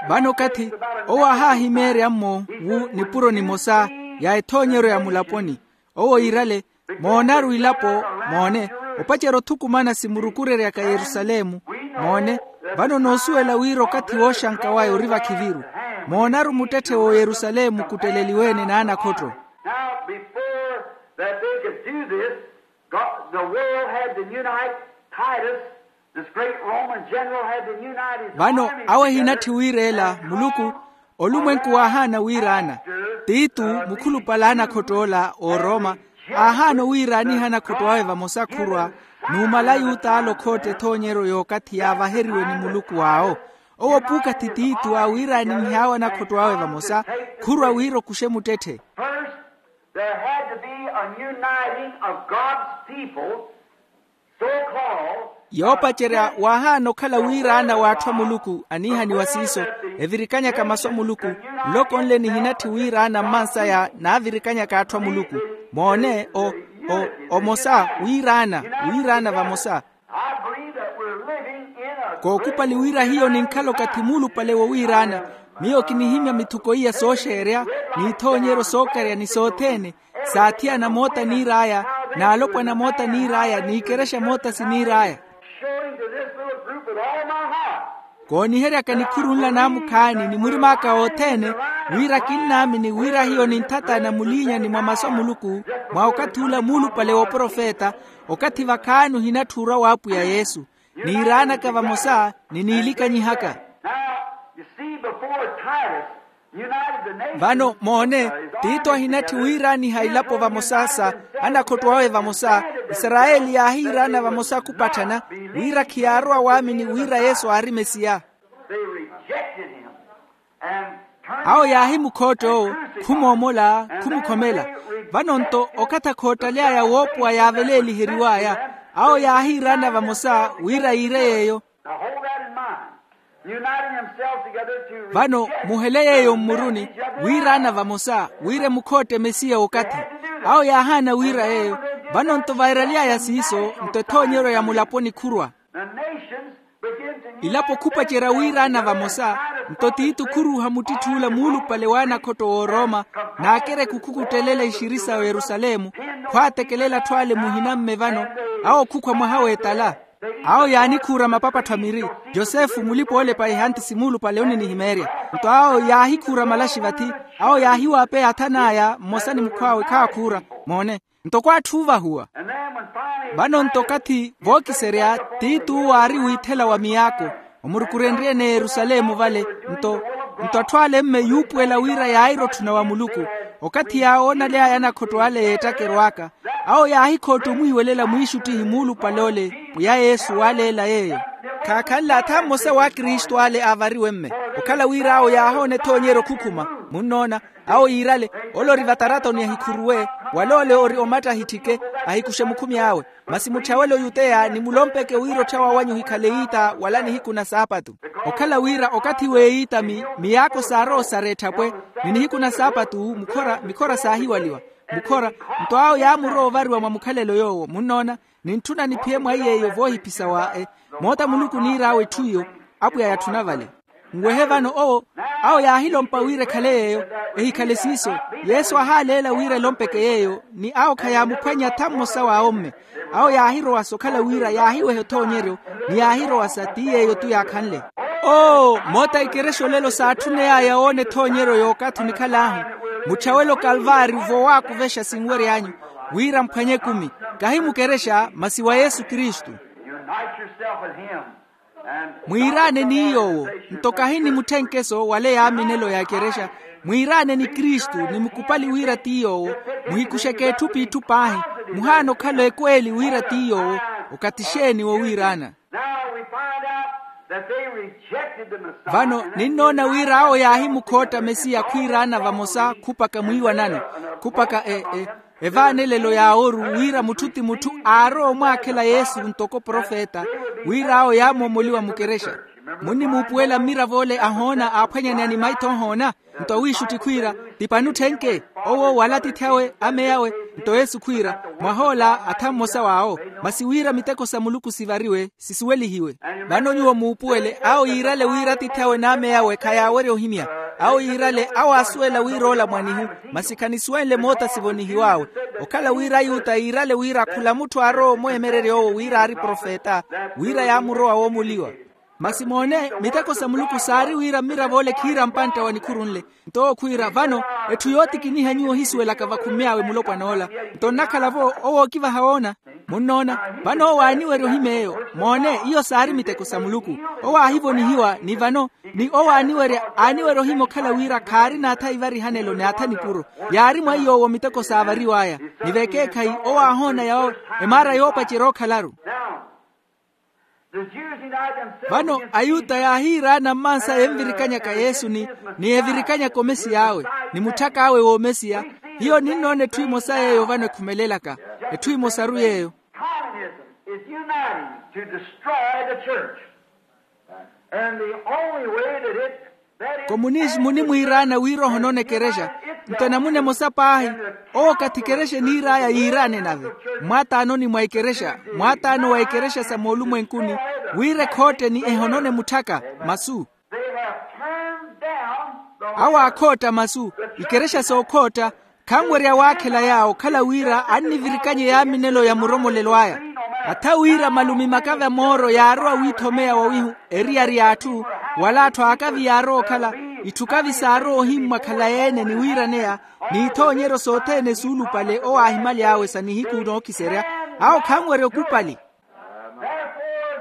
Vano okathi owo aahaahimeerya-mmo wu nipuro nimosa ya ethoonyeryo ya mulaponi. Owo iirale, moonaru ilapo, moone, opacerya othukumana simurukureryaka yerusalemu. Moone, vano noosuwela wira okathi wooxanka waya ori vakhiviru. Moonaru muttetthe w'oyerusalemu kutteleliwe-ene n'anakhotto. Now, before that they could do this, God, the world had to unite Titus, this great Roman general, had to unite his army together. Vano awo ehinatthi wiira ela, muluku, olumwenku waahaana wiiraana. Titu, mukhulupale a anakhotto ola ooroma, aahaana owiiraaniha anakhotto awe vamosa khurwa, numala ayuta ale okhootta ethoonyeryo y'okathi yaavaheriwe ni muluku awo. Owo puukathi titu aawiiraanihiy'awe anakhotto awe vamosa, khurwa wira okuxe muttetthe. First, there had to be a uniting of God's people, so called. Yoopacerya waahaana okhala wiiraana w'atthu a muluku aniihaniwa siiso, evirikanyaka masu a muluku. Nloko nle nihinatthi wiiraana mmansaya naavirikanyaka atthu a muluku. Moone, o, o, omosa wiiraana, wiiraana vamosa. I believe that we're living in a... Kookupali wira hiyo ninkhala okathi muulupale wowiiraana. Miyo kinihimya mithuko iya sooxeerya, n'ithoonyeryo sookarya ni sothene, saathiyana moota niir'aya, n'alopwana moota niir'aya, n'ikerexa moota siniir'aya. Showing to this little group with all my heart. Kooniheryaka nikhuru nla naamukhaani ni murim'aka othene, wira kinnaamini wira hiyo ninthatana muliinyani mwa masu a muluku, mwa okathi ula muulupale w'oprofeta, okathi vakhaani ohinatthi orwa w'apwiya yesu. Niiraanaka vamosa, ni niilikanyihaka. Now, you see, before Titus united the nations. Vano moone, tito ahinatthi wiiraaniha ilapo vamosa sa anakhotto awe vamosa. Isarayeli yaahiiraana vamosa khupatthana, wira khiyaarowa waamini wira yesu aari mesiya. They rejected him. Awo yaahimukhootta owo, khumoomola, khumukhomela. Vano-nto okathi akhoottaly'aya woopowa yaaveleeliheriw'aya, awo yaahiiraana vamosa wira yiire yeeyo. Vano muhele yeeyo mmuruni, wiiraana vamosa wira emukhootte mesiya okathi. Awo yaahaana wira yeeyo. Vano-nto vairaly'aya siiso, nto ethoonyeryo ya mulaponi khurwa. Ilapo khupacerya wiiraana vamosa, nto tiitu khuruuha muttitthuula muulupale w'anakhotto w'orooma, n'akereku khukuttelela ixiri sa oyerusalemu, khwaatekelela atthu ale muhina-mme vano. Awo khukhwa mwaha w'etala. Awo yaanikhuura mapapattho a miri. Yosefu mulipa-oolepa ehanti simuulupale oninihimeerya. Nto awo yaahikhuura malaxi vathi. Awo yaahiwaapeya athan'aya mmosa ni mukhw'awe khaakhuura. Moone. Nto kwaatthu oovahuwa. Vano-nto okathi vookiserya, tiituwu aari wiithela wa miyaako, omurukurenrye-ene yerusalemu vale. Nto nto atthu ale mme yuupuwela wira yaayira otthuna wa muluku. Okathi yaawoonaly'aya anakhotto ale yeettakeryo aka, awo yaahikhootta omwiiwelela mwiixuttihi muulupale ole, pwiya yesu waaleela yeeyo. Khaakhanle atha mmosa wa akristu ale aavariwe mme, okhala wira awo yaahoona ethoonyeryo khukhuma. Munnoona? Awo yiirale, ole ori vataratoni ahikhuruwe, wala ole ori omatta ahitthike, ahikuxe mukhumi awe. Masi mutthawele oyuteya ni mulompeke wira otthawa wanyu ohikhale iita wala nihiku na saapatu. Okhala wira okathi w'eyiita mi miyaako saarowa osareetthapwe, ni nihiku na saapatu mukhora mikhora saahiwaliwa. Mukhora. Nto awo yaamurowa ovariwa mwa mukhalelo yoowo munnoona. Nintthuna niphiye mwa iy'eyo voohiphisa wa e moota muluku oniir'awe etthu iyo. Apwiya yatthuna vale. Nwehe vano owo. Awo yaahilompa wira ekhale yeeyo. Ehikhale siiso. Yesu ahaaleela wira elompeke yeeyo ni awo khayaamuphwanya tha mmosa w'awo mme. Awo yaahirowasa okhala wira yaahiwehe othoonyeryo, ni yaahirowasa ti yeeyo-tu yaakhanle. Oo moota a ikerexa olelo saatthuney'aya woona ethoonyeryo y'okathi onikhal'ahu. Mutthawele okalvaari vowaakuvexa sinwery'anyu, wira mphwanye ekumi, kahi mukerexa masi wa yesu kristu. Unite yourself with him. Mwiiraane ni yoowo. Nto kahi ni mutthenkeso wala eyaaminelo ya ekerexa. Mwiiraane ni kristu ni mukupali wira ti yoowo. Muhikuxeke etthu p'itthu paahi. Muhaana okhala ekweeli wira ti yoowo. Okathi xeeni wowiiraana? Vano ninnoona wira awo yaahimukhootta mesiya khwiiraana vamosa khupaka mwiiwanano, khupaka e e evaanelelo ya ooru wira mutthu ti mutthu aarowa omwaakhela yesu ntoko profeta, wira awo yaamoomoliwa mukerexa. Munnimuupuwela mmirav'ole ahoona aaphwanyaneya ni maitho ohoona. Nto awiixutti khwiira, ti pani otthenke owo wala atiithi awe ameya awe. Nto yesu khwiira, mwah'ola atha mmosa w'awo. Masi wira miteko sa muluku sivariwe, sisuwelihiwe. Vano nyuwo muupuwele awo yiirale wira atiithi awe n'ameya awe khayaawerya ohimya. Awo yiirale awo aasuwela wira ola mwanihu, masi khanisuwenle moota sivonihiw'awe. Okhala wira ayuta yiirale wira khula mutthu aarowa omweemererya owo wira aari profeta, wira yaamurowa woomoliwa. Masi moone miteko sa muluku saari wira mmirav'ole khiira mpantta wa nikhuru nle. Nto owo khwiira vano, etthu yootikiniha nyuwo ohisuwelaka vakhummy'awe mulopwan'ola. Nto nnakhala-vo owo ookivaha woona. Munnoona? Vano owo aaniwerya ohimya eyo. Moone iyo saari miteko sa muluku. Owo aahivonihiwa ni vano, ni owo aaniwerya aaniwerya ohimya okhala wira khaarina atha ivarihanelo ni atha nikuro. Yaari mwa iy'owo miteko saavariw'aya. Ni vekeekhayi owo aahoona yawo emaara yoopacerya ookhalaru. Vano ayuta yaahiiraana mmansaya envirikanyaka yesu ni ni evirikanyaka omesiy'awe, ni mutthak'awe w'omesiya. Hiyo ninnoona etthu emosa yeeyo vano ekhumelelaka. Etthu emosaru yeeyo. Communism is uniting to destroy the church. And the only way that it komunismu onimwiiraana wira ohonona ekerexa. Nto enamuna emosa paahi, owo kathi kerexa eniir'aya yiiraane nave. Mwaataanoni mwa ekerexa, mwaataano wa ekerexa sa moolumwenkuni, wira ekhootteni ehonone mutthaka masu. Awo aakhootta masu, ikerexa sookhootta. Khanwerya waakhela yaawo okhala wira annivirikanye yaaminelo ya muromolelo aya. Atha wira malumi makavi a mooro yaarowa wiithomeya wawihu, eriyari y'atthu, wala atthu aakavi yaarowa okhala itthu kavi saarowa ohimmwa khalayi-ene ni wiiraneya, n'ithoonyeryo sothene suulupale owo aahimaly'awe sa nihiku nookiserya. Awo khanwerya okupali.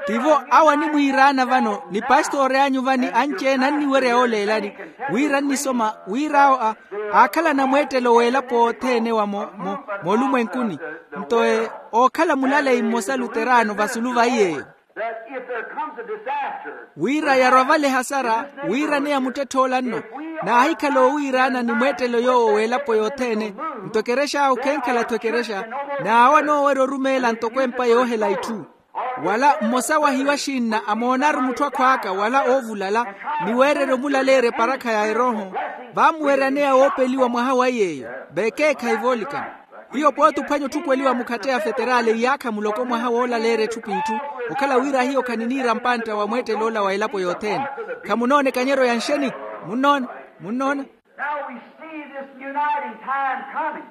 Tivo awo animwiiraana vano ni pastori anyu vani anci-ene anniwerya yooleelani, wira annisoma wira awo a aakhala anamweettelo w'elapo othene wa mo mo moolumwenkuni. Nto e ookhala mulaleyi mmosa luteraano vasulu va iy'eyo. That if there comes a disaster, wira yarwa vale ehasara, wiiraneya muttetthe olanno naahikhala oowiiraana ni mweettelo yoowo w'elapo yothene. Nto ekerexa awo khenkhala-tho ekerexa, n'awo anoowerya orumeela ntoko empa yoohela itthu. Wala mmosa wa hiyo axinna amoonaru mutthu akhw'aka wala oovulala, ni weererya omulaleerya eparakha ya erooho, vaamuweryaneya woopeliwa mwaha wa iy'eyo. Vekeekhayi voolikana. Hiyo pooti ophwanya otthukweliwa mukhatte ya feterali iyaakha muloko mwaha woolaleerya etthu p'itthu, okhala wira hiyo khaniniira mpantta wa mweettel'ola wa elapo yothene. Khamunoona ekanyeryo ya nxeni? Munnoona? Munnoona? Now we see this uniting time coming.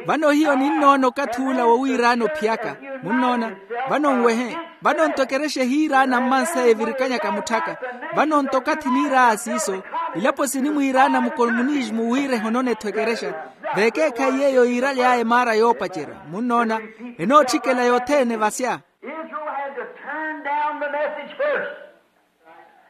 Vano hiyo ninnoona okathi ula wowiiraana ophiyaka. Munnoona? Vano nwehe. Vano nto ekerexa ehiiraana mmansayi evirikanyaka mutthaka. Vano nto okathi niir'aya siiso, ilapo sinimwiiraana mukomunismu wira ehonone-tho ekerexa. Vekeekhayi yeeyo yiiraly'aya emaara yoopacerya. Munnoona? Enootthikela yothene vasya. Israel had to turn down the message first.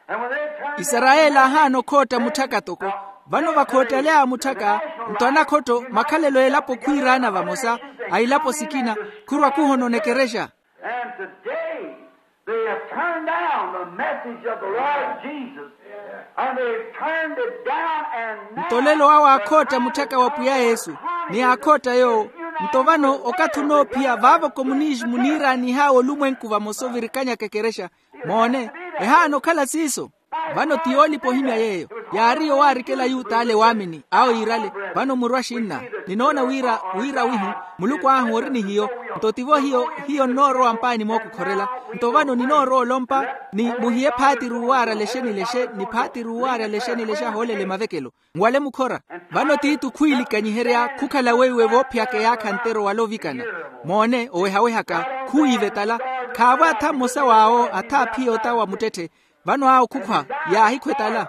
And when they turned down the isarayeli message, ahaana okhootta mutthaka toko. Vano vakhoottely'aya mutthaka, nto anakhotta makhalelo a elapo khwiiraana vamosa, a ilapo sikina, khurwa khuhonona ekerexa. And today, they have turned down the message of the Lord Jesus. And they've turned it down and now nto olelo awo aakhootta mutthaka wa pwiya yesu, ni aakhootta yoowo. Nto vano okathi onoophiya vaavo komunisimu niiraanih'awe olumwenku vamosa ovirikanyaka ekerexa. Moone, ehaana okhala siiso. Vano ti yoolipa ohimya yeeyo. Yaari yowaarikela ayuta ale waamini awo yiirale. Vano muru axinna, ninoona wira wira wihu muluku ahu ori ni hiyo. Nto tivo hiyo hiyo nnoorowa mpaani mookukhorela. Nto vano ninoorowa olompa ni muhiye phaati ruwaarya lexe ni lexe ni phaati ruwaarya lexe ni lexe ahoolela emavekelo. Nwale mukhora. Vano tiitu khwiilikanyiherya khukhala weiwe voophiyaka eyaakha ntero wala ovikana. Moone owehawehaka, khuwiive tala. Khaavo atha mmosa w'awo atha aphiya ota wa muttetthe. Vano awo khukhwa yaahikhwa etala.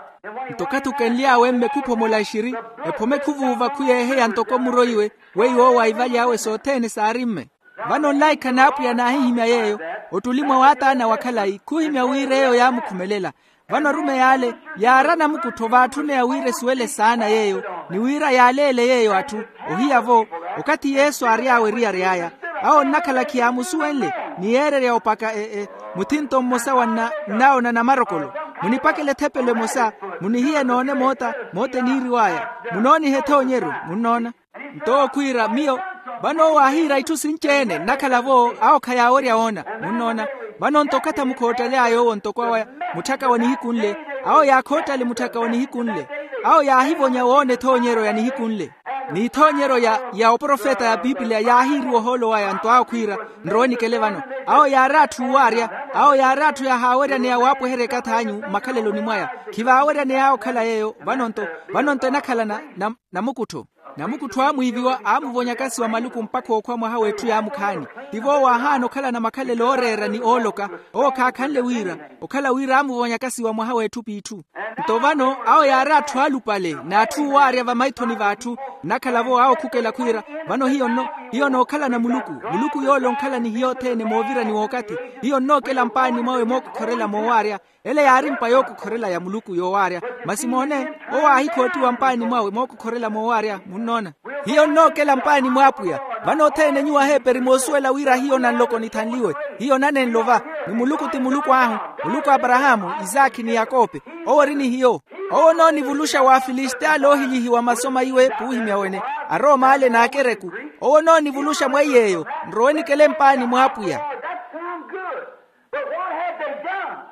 Nto okathi okenly'awe mme khuphomola exiri, ephome khuvuuva khuyeeheya ntoko muroiwe, weiwo owo aivaly'awe sothene saari mme. Vano nlaikha n'apwiya naahihimya yeeyo, ottuli mwa waataana wa khalayi khuhimya wira eyo yaamukhumelela. Vano arumeyi ale yaari anamukuttho vaatthune ya wira esuwele saana yeeyo, ni wira yaaleele yeeyo atthu. Ohiya-vo, okathi yesu aary'awe eriyari aya, awo nnakhala khiyaamusuwenle, ni yeererya opaka e e muthinto mmosa wa nna nnawo na namarokolo. Munipakele ethepelo emosa, munihiye noone moota moota eniiriw'aya. Munoonihe ethoonyeryo. Munnoona? Nto owo khwiira miyo, vano owo aahiira itthu sinci-ene nnakhala-vo awo khayaawerya woona. Munnoona? Vano nto okathi amukhoottely'aya owo ntoko awo mutthaka wa nihiku nle, awo yaakhoottale mutthaka wa nihiku nle. Awo yaahivonya woona ethoonyeryo ya nihiku nle, n'ithoonyeryo ya ya oprofeta ya apipilia yaahiiriwa ohoolo waya nto awo khwiira. Nrowe nikele vano. Awo yaari atthu uwaarya, awo yaari atthu yahaaweryaneya waapweherya ekathi anyu mmakhaleloni mwaya. Khivaaweryaney'awe okhala yeeyo. Vano nto vano nto enakhala na na namukuttho. Namukuttho aamwiiviwa aamuvonyaka siwa maluku mpakha ookhwa mwaha w'etthu yaamukhaani. Tivo owo aahaana okhalana makhalelo ooreera ni ooloka. Owo khaakhanle wira okhala wira aamuvonyaka siwa mwaha w'etthu p'itthu. Nto vano awo yaari atthu aalupale n'atthu uwaarya vamaithoni v'atthu. Nnakhala-vo awo khukela khwiira, vano hiyo nno hiyo nookhalana muluku. Muluku yoole onkhala ni hiyo othene moovirani w'okathi. Hiyo nnookela mpaani mwawe mookukhorela moowaarya. Ele yaari mpa yookukhorela ya muluku yoowaarya. Masi moone, owo aahikhootiwa mpaani mwawe mookukhorela moowaarya. Munnoona? Hiyo nnookela mpaani mw'apwiya. Vano othene nyuwo aheeperi moosuwela wira hiyo nanloko nithanliwe. Hiyo nanenlo va, ni muluku ti muluku ahu, muluku a aparahaamu, isaakhi ni yakope. Owo ori ni hiyo. Owo onoonivulusha w'afilistia ale oohilyihiwa maso maiwe puuhimya wene, arooma ale n'akereku. Owo onoonivulusha mwa iy'eyo. Nrowe nikele mpaani mw'apwiya.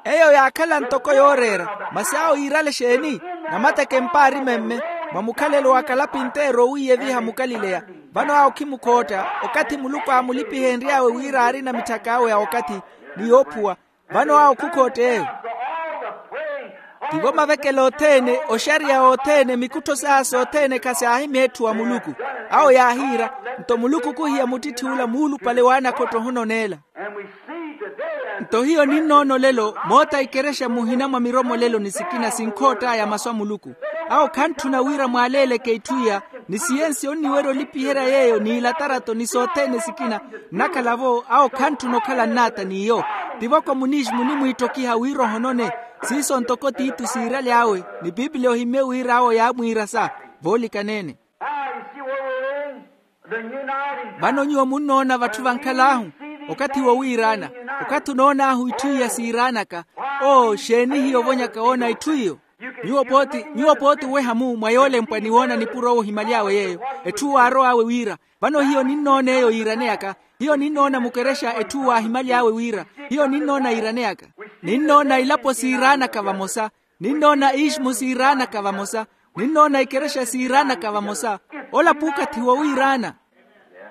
Eyo yaakhala ntoko yooreera. Masi awo yiirale exeeni? Namateke mpaari memme, mwa mukhalelo wa kalapinteero owiiyeviha mukalileya. Vano awo khimukhootta, okathi muluku aamulipihenry'awe wira aarina mitthak'awe ya okathi, ni yoophuwa. Vano awo khukhootta eyo. Tivo mavekelo othene, oxariya othene, mikuttho saha sothene khasyaahimeetthuwa muluku. Awo yaahiira. Nto muluku khuhiya muttitthi ula muulupale w'anakhotta ohononeela. Nto hiyo ninnoona olelo moota ikerexa muhina mwa miromo lelo ni sikina sinkhoott'aya masu a muluku. Awo khantthuna wira mwaaleeleke itthu iya, ni siyensi onniwerya olipiherya yeeyo n'ilatarato ni sothene sikina. Nnakhala-vo awo khantthuna okhala nnaata n'iyo. Tivo komunisi munimwiittokiha wira ohonone. Siiso ntoko titu siiraly'awe, ni piipiliya ohimmye wira awo yaamwiirasa. Voolikanene. Vano nyuwo munnoona vatthu vankhal'ahu, okathi wowiiraana, okathi onoon'ahu itthu iya siiraanaka. Oo, xeeni hiyo ovonyaka woona itthu iyo? Nyuwo pooti nyuwo pooti oweha-mu mwa yoolempwa ni woona nipuro owo ohimaly'awe yeeyo, etthu waarow'awe wira. Vano hiyo ninnoona eyo yiiraneyaka. Hiyo ninnoona mukerexa etthu waahimaly'awe wira. Hiyo ninnoona yiiraneyaka. Ninnoona ilapo siiraanaka vamosa. Ninnoona iximu siiraanaka vamosa. Ninnoona ikerexa siiraanaka vamosa. Ola puukathi wowiiraana.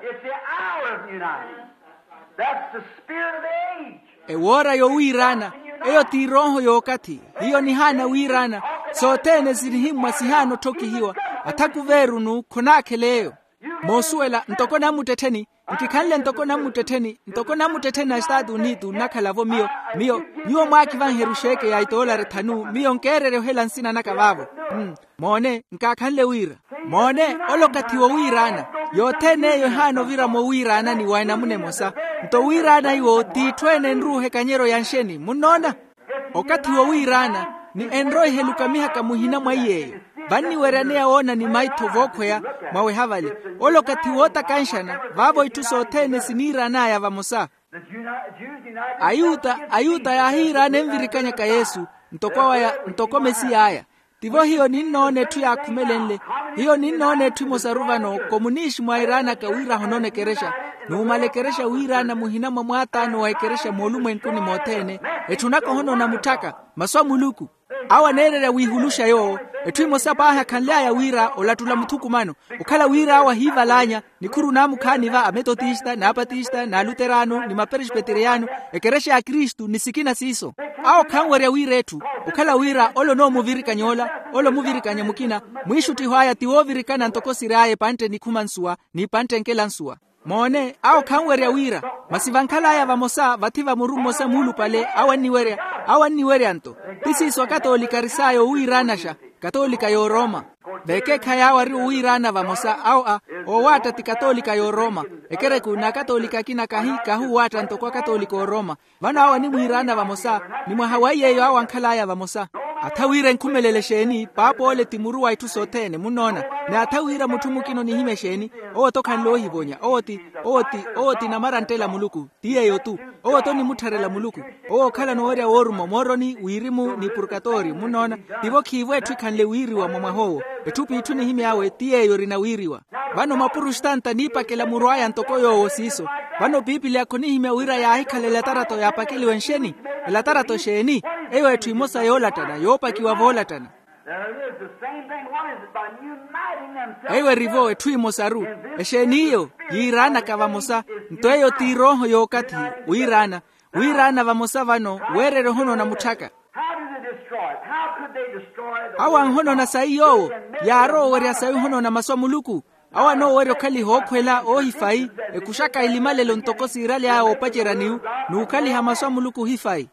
It's the hour of uniting. That's the spirit of the age. Ewoora yowiiraana. Eyo ti erooho y'okathi. Hiyo nihaana wiiraana. Sothene sinihimmwa sihaana otthokihiwa. Athakuveerunu khonaakhela eyo. Moosuwela ntoko nammuttettheni. Nkikhanle ntoko nammuttettheni ntoko nammuttettheni na estatu unitu nnakhala-vo miyo. Miyo nyuwo mwaakivanheru xeeke ya itoolari thanu miyo nkeererya ohela nsina naka vaavo. Moone nkaakhanle wira. Moone, ole okathi wowiiraana. Yothene eyo ehaana ovira mowiiraanani wa enamuna emosa. Nto wiiraana iwo t'itthu ene enruuha ekanyeryo ya nxeni munnoona. Okathi wowiiraana ni enroiha elukamihaka muhina mwa iy'eyo. Vanniweryaneya woona ni maitho vookhweya mwaweha vale. Ole okathi wootakanxana vaavo itthu sothene siniiraan'aya vamosa. Ayuta ayuta yaahiiraana envirikanyaka yesu ntoko awaya ntoko mesiy'aya. Tivo hiyo ninnoona etthu yaakhumelenle. Hiyo ninnoona etthu emosaru vano komunishi mwairaanaka wira ahonona ekerexa. Nuumala ekerexa wiiraana muhina mwa mwaataano wa ekerexa moolumwenkuni mothene. Etthunaka ohonona mutthaka masu a muluku. Awo aneererya wiihuluxa yoowo. Etthu emosa paahi akhanly'aya wira olattula muthukumano. Okhala wira awo ahiivalaanya nikhuru naamukhaani va ametotista naapatista naaluteraano ni maperespeteriyano. Ekerexa ya kristu ni sikina siiso. Awo khanwerya wira etthu okhala wira ole onoomuvirikanya ola ole omuvirikanya mukina. Mwiixuttiho aya ti woovirikana ntoko siry'aya epantte nikhuma nsuwa n'ipantte nkela nsuwa. Moone awo khanwerya wira masi vankhal'aya vamosa vathi va muru mmosa muulupale awo anniwerya. Awo anniwerya nto ti siiso akatoolika aris'aya owiiraanaxa. Katoolika y'oroma. Vekeekhayi awo ari owiiraana vamosa awo a oowaatta ti katoolika y'oroma. Ekereku n'akatoolika akina kahi kahuuwaatta ntoko akatoolika ooroma. Vano awo animwiiraana vamosa ni mwaha wa iy'eyo awo ankhal'aya vamosa. Atha wira enkhumelele exeeni paapa ole ti muru wa itthu sothene munnoona. Ni atha wira mutthu mukina onihimya exeeni owo-tho khanle ohivonya owo ti owo ti owo ti namaranttela muluku. Ti yeeyo-tu owo-tho onimuttharela muluku. Owo okhala noowerya wooruma omooroni wirimu ni purkatori munnoona. Tivo khiivo etthu ekhanle wiiriwa mwa mwaha owo. Etthu p'itthu nihimy'awe ti yeeyo erina wiiriwa. Vano mapurustanta niipakela muru aya ntoko yoowo siiso. Vano piipiliya khonihimya wira yaahikhala elatarato yaapakeliwa nxeni? Elatarato exeeni? Eyo etthu emosa yoolattana yoopakiwa voolattana. Eyo erivo etthu emosaru. Exeeni iyo yiiraanaka vamosa. Nto eyo ti erooho y'okathi. Wiiraana wiiraana vamosa vano weererya ohonoona mutthaka. Awo anhonoona sayi yoowo yaarowa owerya sayi ohonoona masu a muluku. Awo anoowerya okhaliha ookhwela oohifayi ekuxaka elimalelo ntoko siiraly'aya oopacerya niyu n'ukhaliha masu a muluku ohifayi.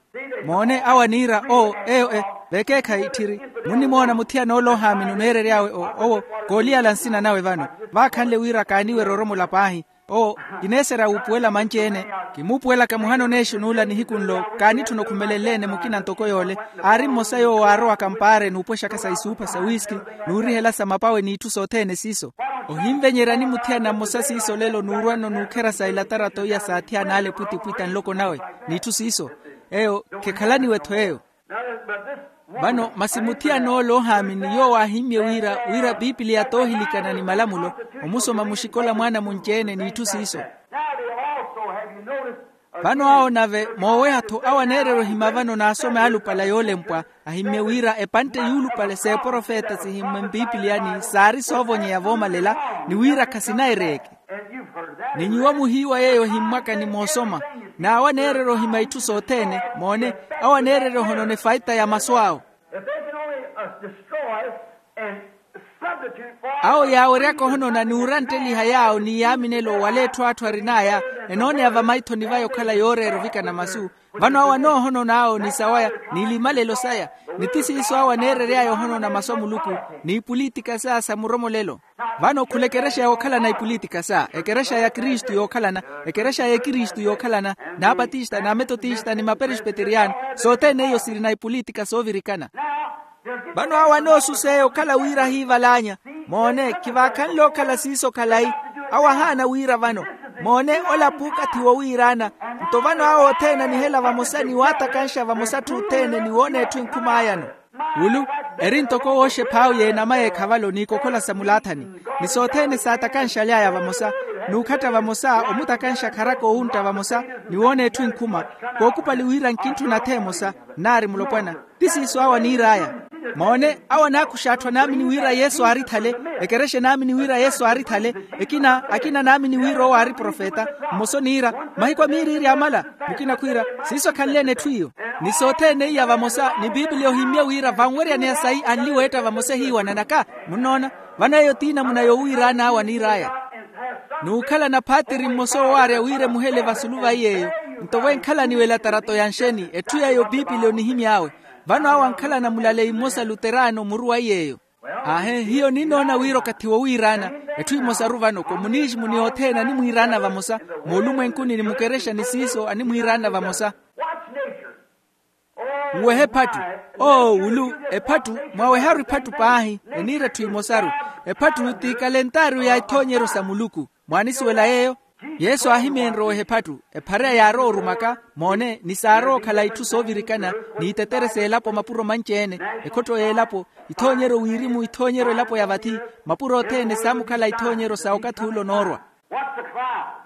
Moone awo aniira oo eyo e vekeekhayi tthiri. Munnimoona muthiyana ole ohaamini oneerery'awe owo kooliyala nsina nawe vano. Vaakhanle wira kaaniwerya oromola paahi. Owo kineeserya wuupuwela manci-ene. Kimuupuwelaka muhana oneexunuula nihiku nlo kaanitthuna okhumelenle-ene mukina ntoko yoole. Aari mmosa yoowo aarowaka mpaare n'upwexaka sa isuupha sa wiski n'urihela sa mapawe n'itthu sothene siiso. Ohinvenyerya ni muthiyana mmosa siiso lelo n'urwa-no n'ukhera sa ilatarato iya saathiyana ale pwitipwita nloko nawe n'itthu siiso. Eyo khekhalaniwe-tho eyo. Vano masi muthiyana ole ohaamini yoowo aahimmye wira wira piipiliya toohilikana ni malamulo omusoma muxikola mwaana munci-ene n'itthu siiso. Vano awo nave mooweha-tho awo aneererya ohima vano n'asome alupale a yoolempwa ahimmye wira epantte yuulupale s'eprofeta sihimmwe mpiipiliyani saari soovonyeya voomalela ni wira khasinayereeke. Ni nyuwo muhiiwa yeeyo ohimmwaka ni moosoma. N'awo aneererya ohima itthu sothene moone awo aneererya ohonona efaita ya masu awo. Awo yaaweryaka ohonona n'urantteliha yaawo ni yaaminelo wala etthu atthu arin'aya, enooneya vamaithoni vaya okhala yooreera ovikana masu. Vano awo anoohonona awo ni sawaya, ni limalelo saya, ni ti siiso awo aneerery'aya ohonona masu a muluku, n'ipulitika saya sa muromolelo. Vano khula ekerexa yookhalana ipulitika saya, ekerexa ya kristu yookhalana, ekerexa ya ekristu yookhalana, n'apatista n'ametotista ni maperespeteriyano, sothene iyo sirina ipulitika soovirikana. Vano awo anoosuseya okhala wira ahiival'anya. Moone, khivaakhanle okhala siiso khalayi. Awo ahaana wira vano, moone, ola puukathi wowiiraana. Nto vano awo othene anihela vamosa ni waatakanxa vamosa atthu othene ni woona etthu enkhum'ayano. Wulu, eri ntoko wooxeph'awe y'enama y'ekhavalo n'ikokhola sa mulaathani, ni sothene saatakanxaly'aya vamosa, n'ukhatta vamosa omutakanxa kharaka owuntta vamosa, ni woona etthu enkhuma. Kookupali wira nkintthuna atha emosa, nnaari mulopwana. Ti siiso awo aniir'aya. Moone, awo anaakuxa atthu anaamini wira yesu aarithale, ekerexa enaamini wira yesu aarithale, ekina akina anaamini wira owo aari profeta. Mmosa oniira, mahiku a miiriiri amala, mukina khwiira, siiso khanle-ene etthu iyo. Ni sothene iya vamosa ni piipili ohimmye wira vanweryaneya sayi anli weetta vamosa ehiiwananaka. Munnoona, vano eyo t'inamuna yowiiraan'awe aniir'aya. N'ukhalana phaatiri mmosa owaarya wira emuhele vasulu va iy'eyo. Nto wenkhalani welatarato ya nxeni etthu yeeyo piipili onihimy'awe. Vano awo ankhalana mulaleyi mmosa luteraano muru wa iy'eyo. Aahe, hiyo ninnoona wira okathi wowiiraana. Etthu emosaru vano komunixmu ni othene animwiiraana vamosa, moolumwenkuni ni mukerexa ni siiso animwiiraana vamosa. Nwehe ephattu. Oo wulu, ephattu, mwaweharu ephattu paahi. Eniira etthu emosaru. Ephattu ti kalentaariyo ya ithoonyeryo sa muluku. Mwaanisuwela yeeyo? Yesu aahimyeenrye oweha ephattu. Ephareya yaarowa orumaka, moone ni saarowa okhala itthu soovirikana, n'itetere s'elapo mapuro manci-ene, ekhotto y'elapo, ithoonyeryo wirimu ithoonyeryo elapo ya vathi. Mapuro othene saamukhala ithoonyeryo sa okathi ule onoorwa.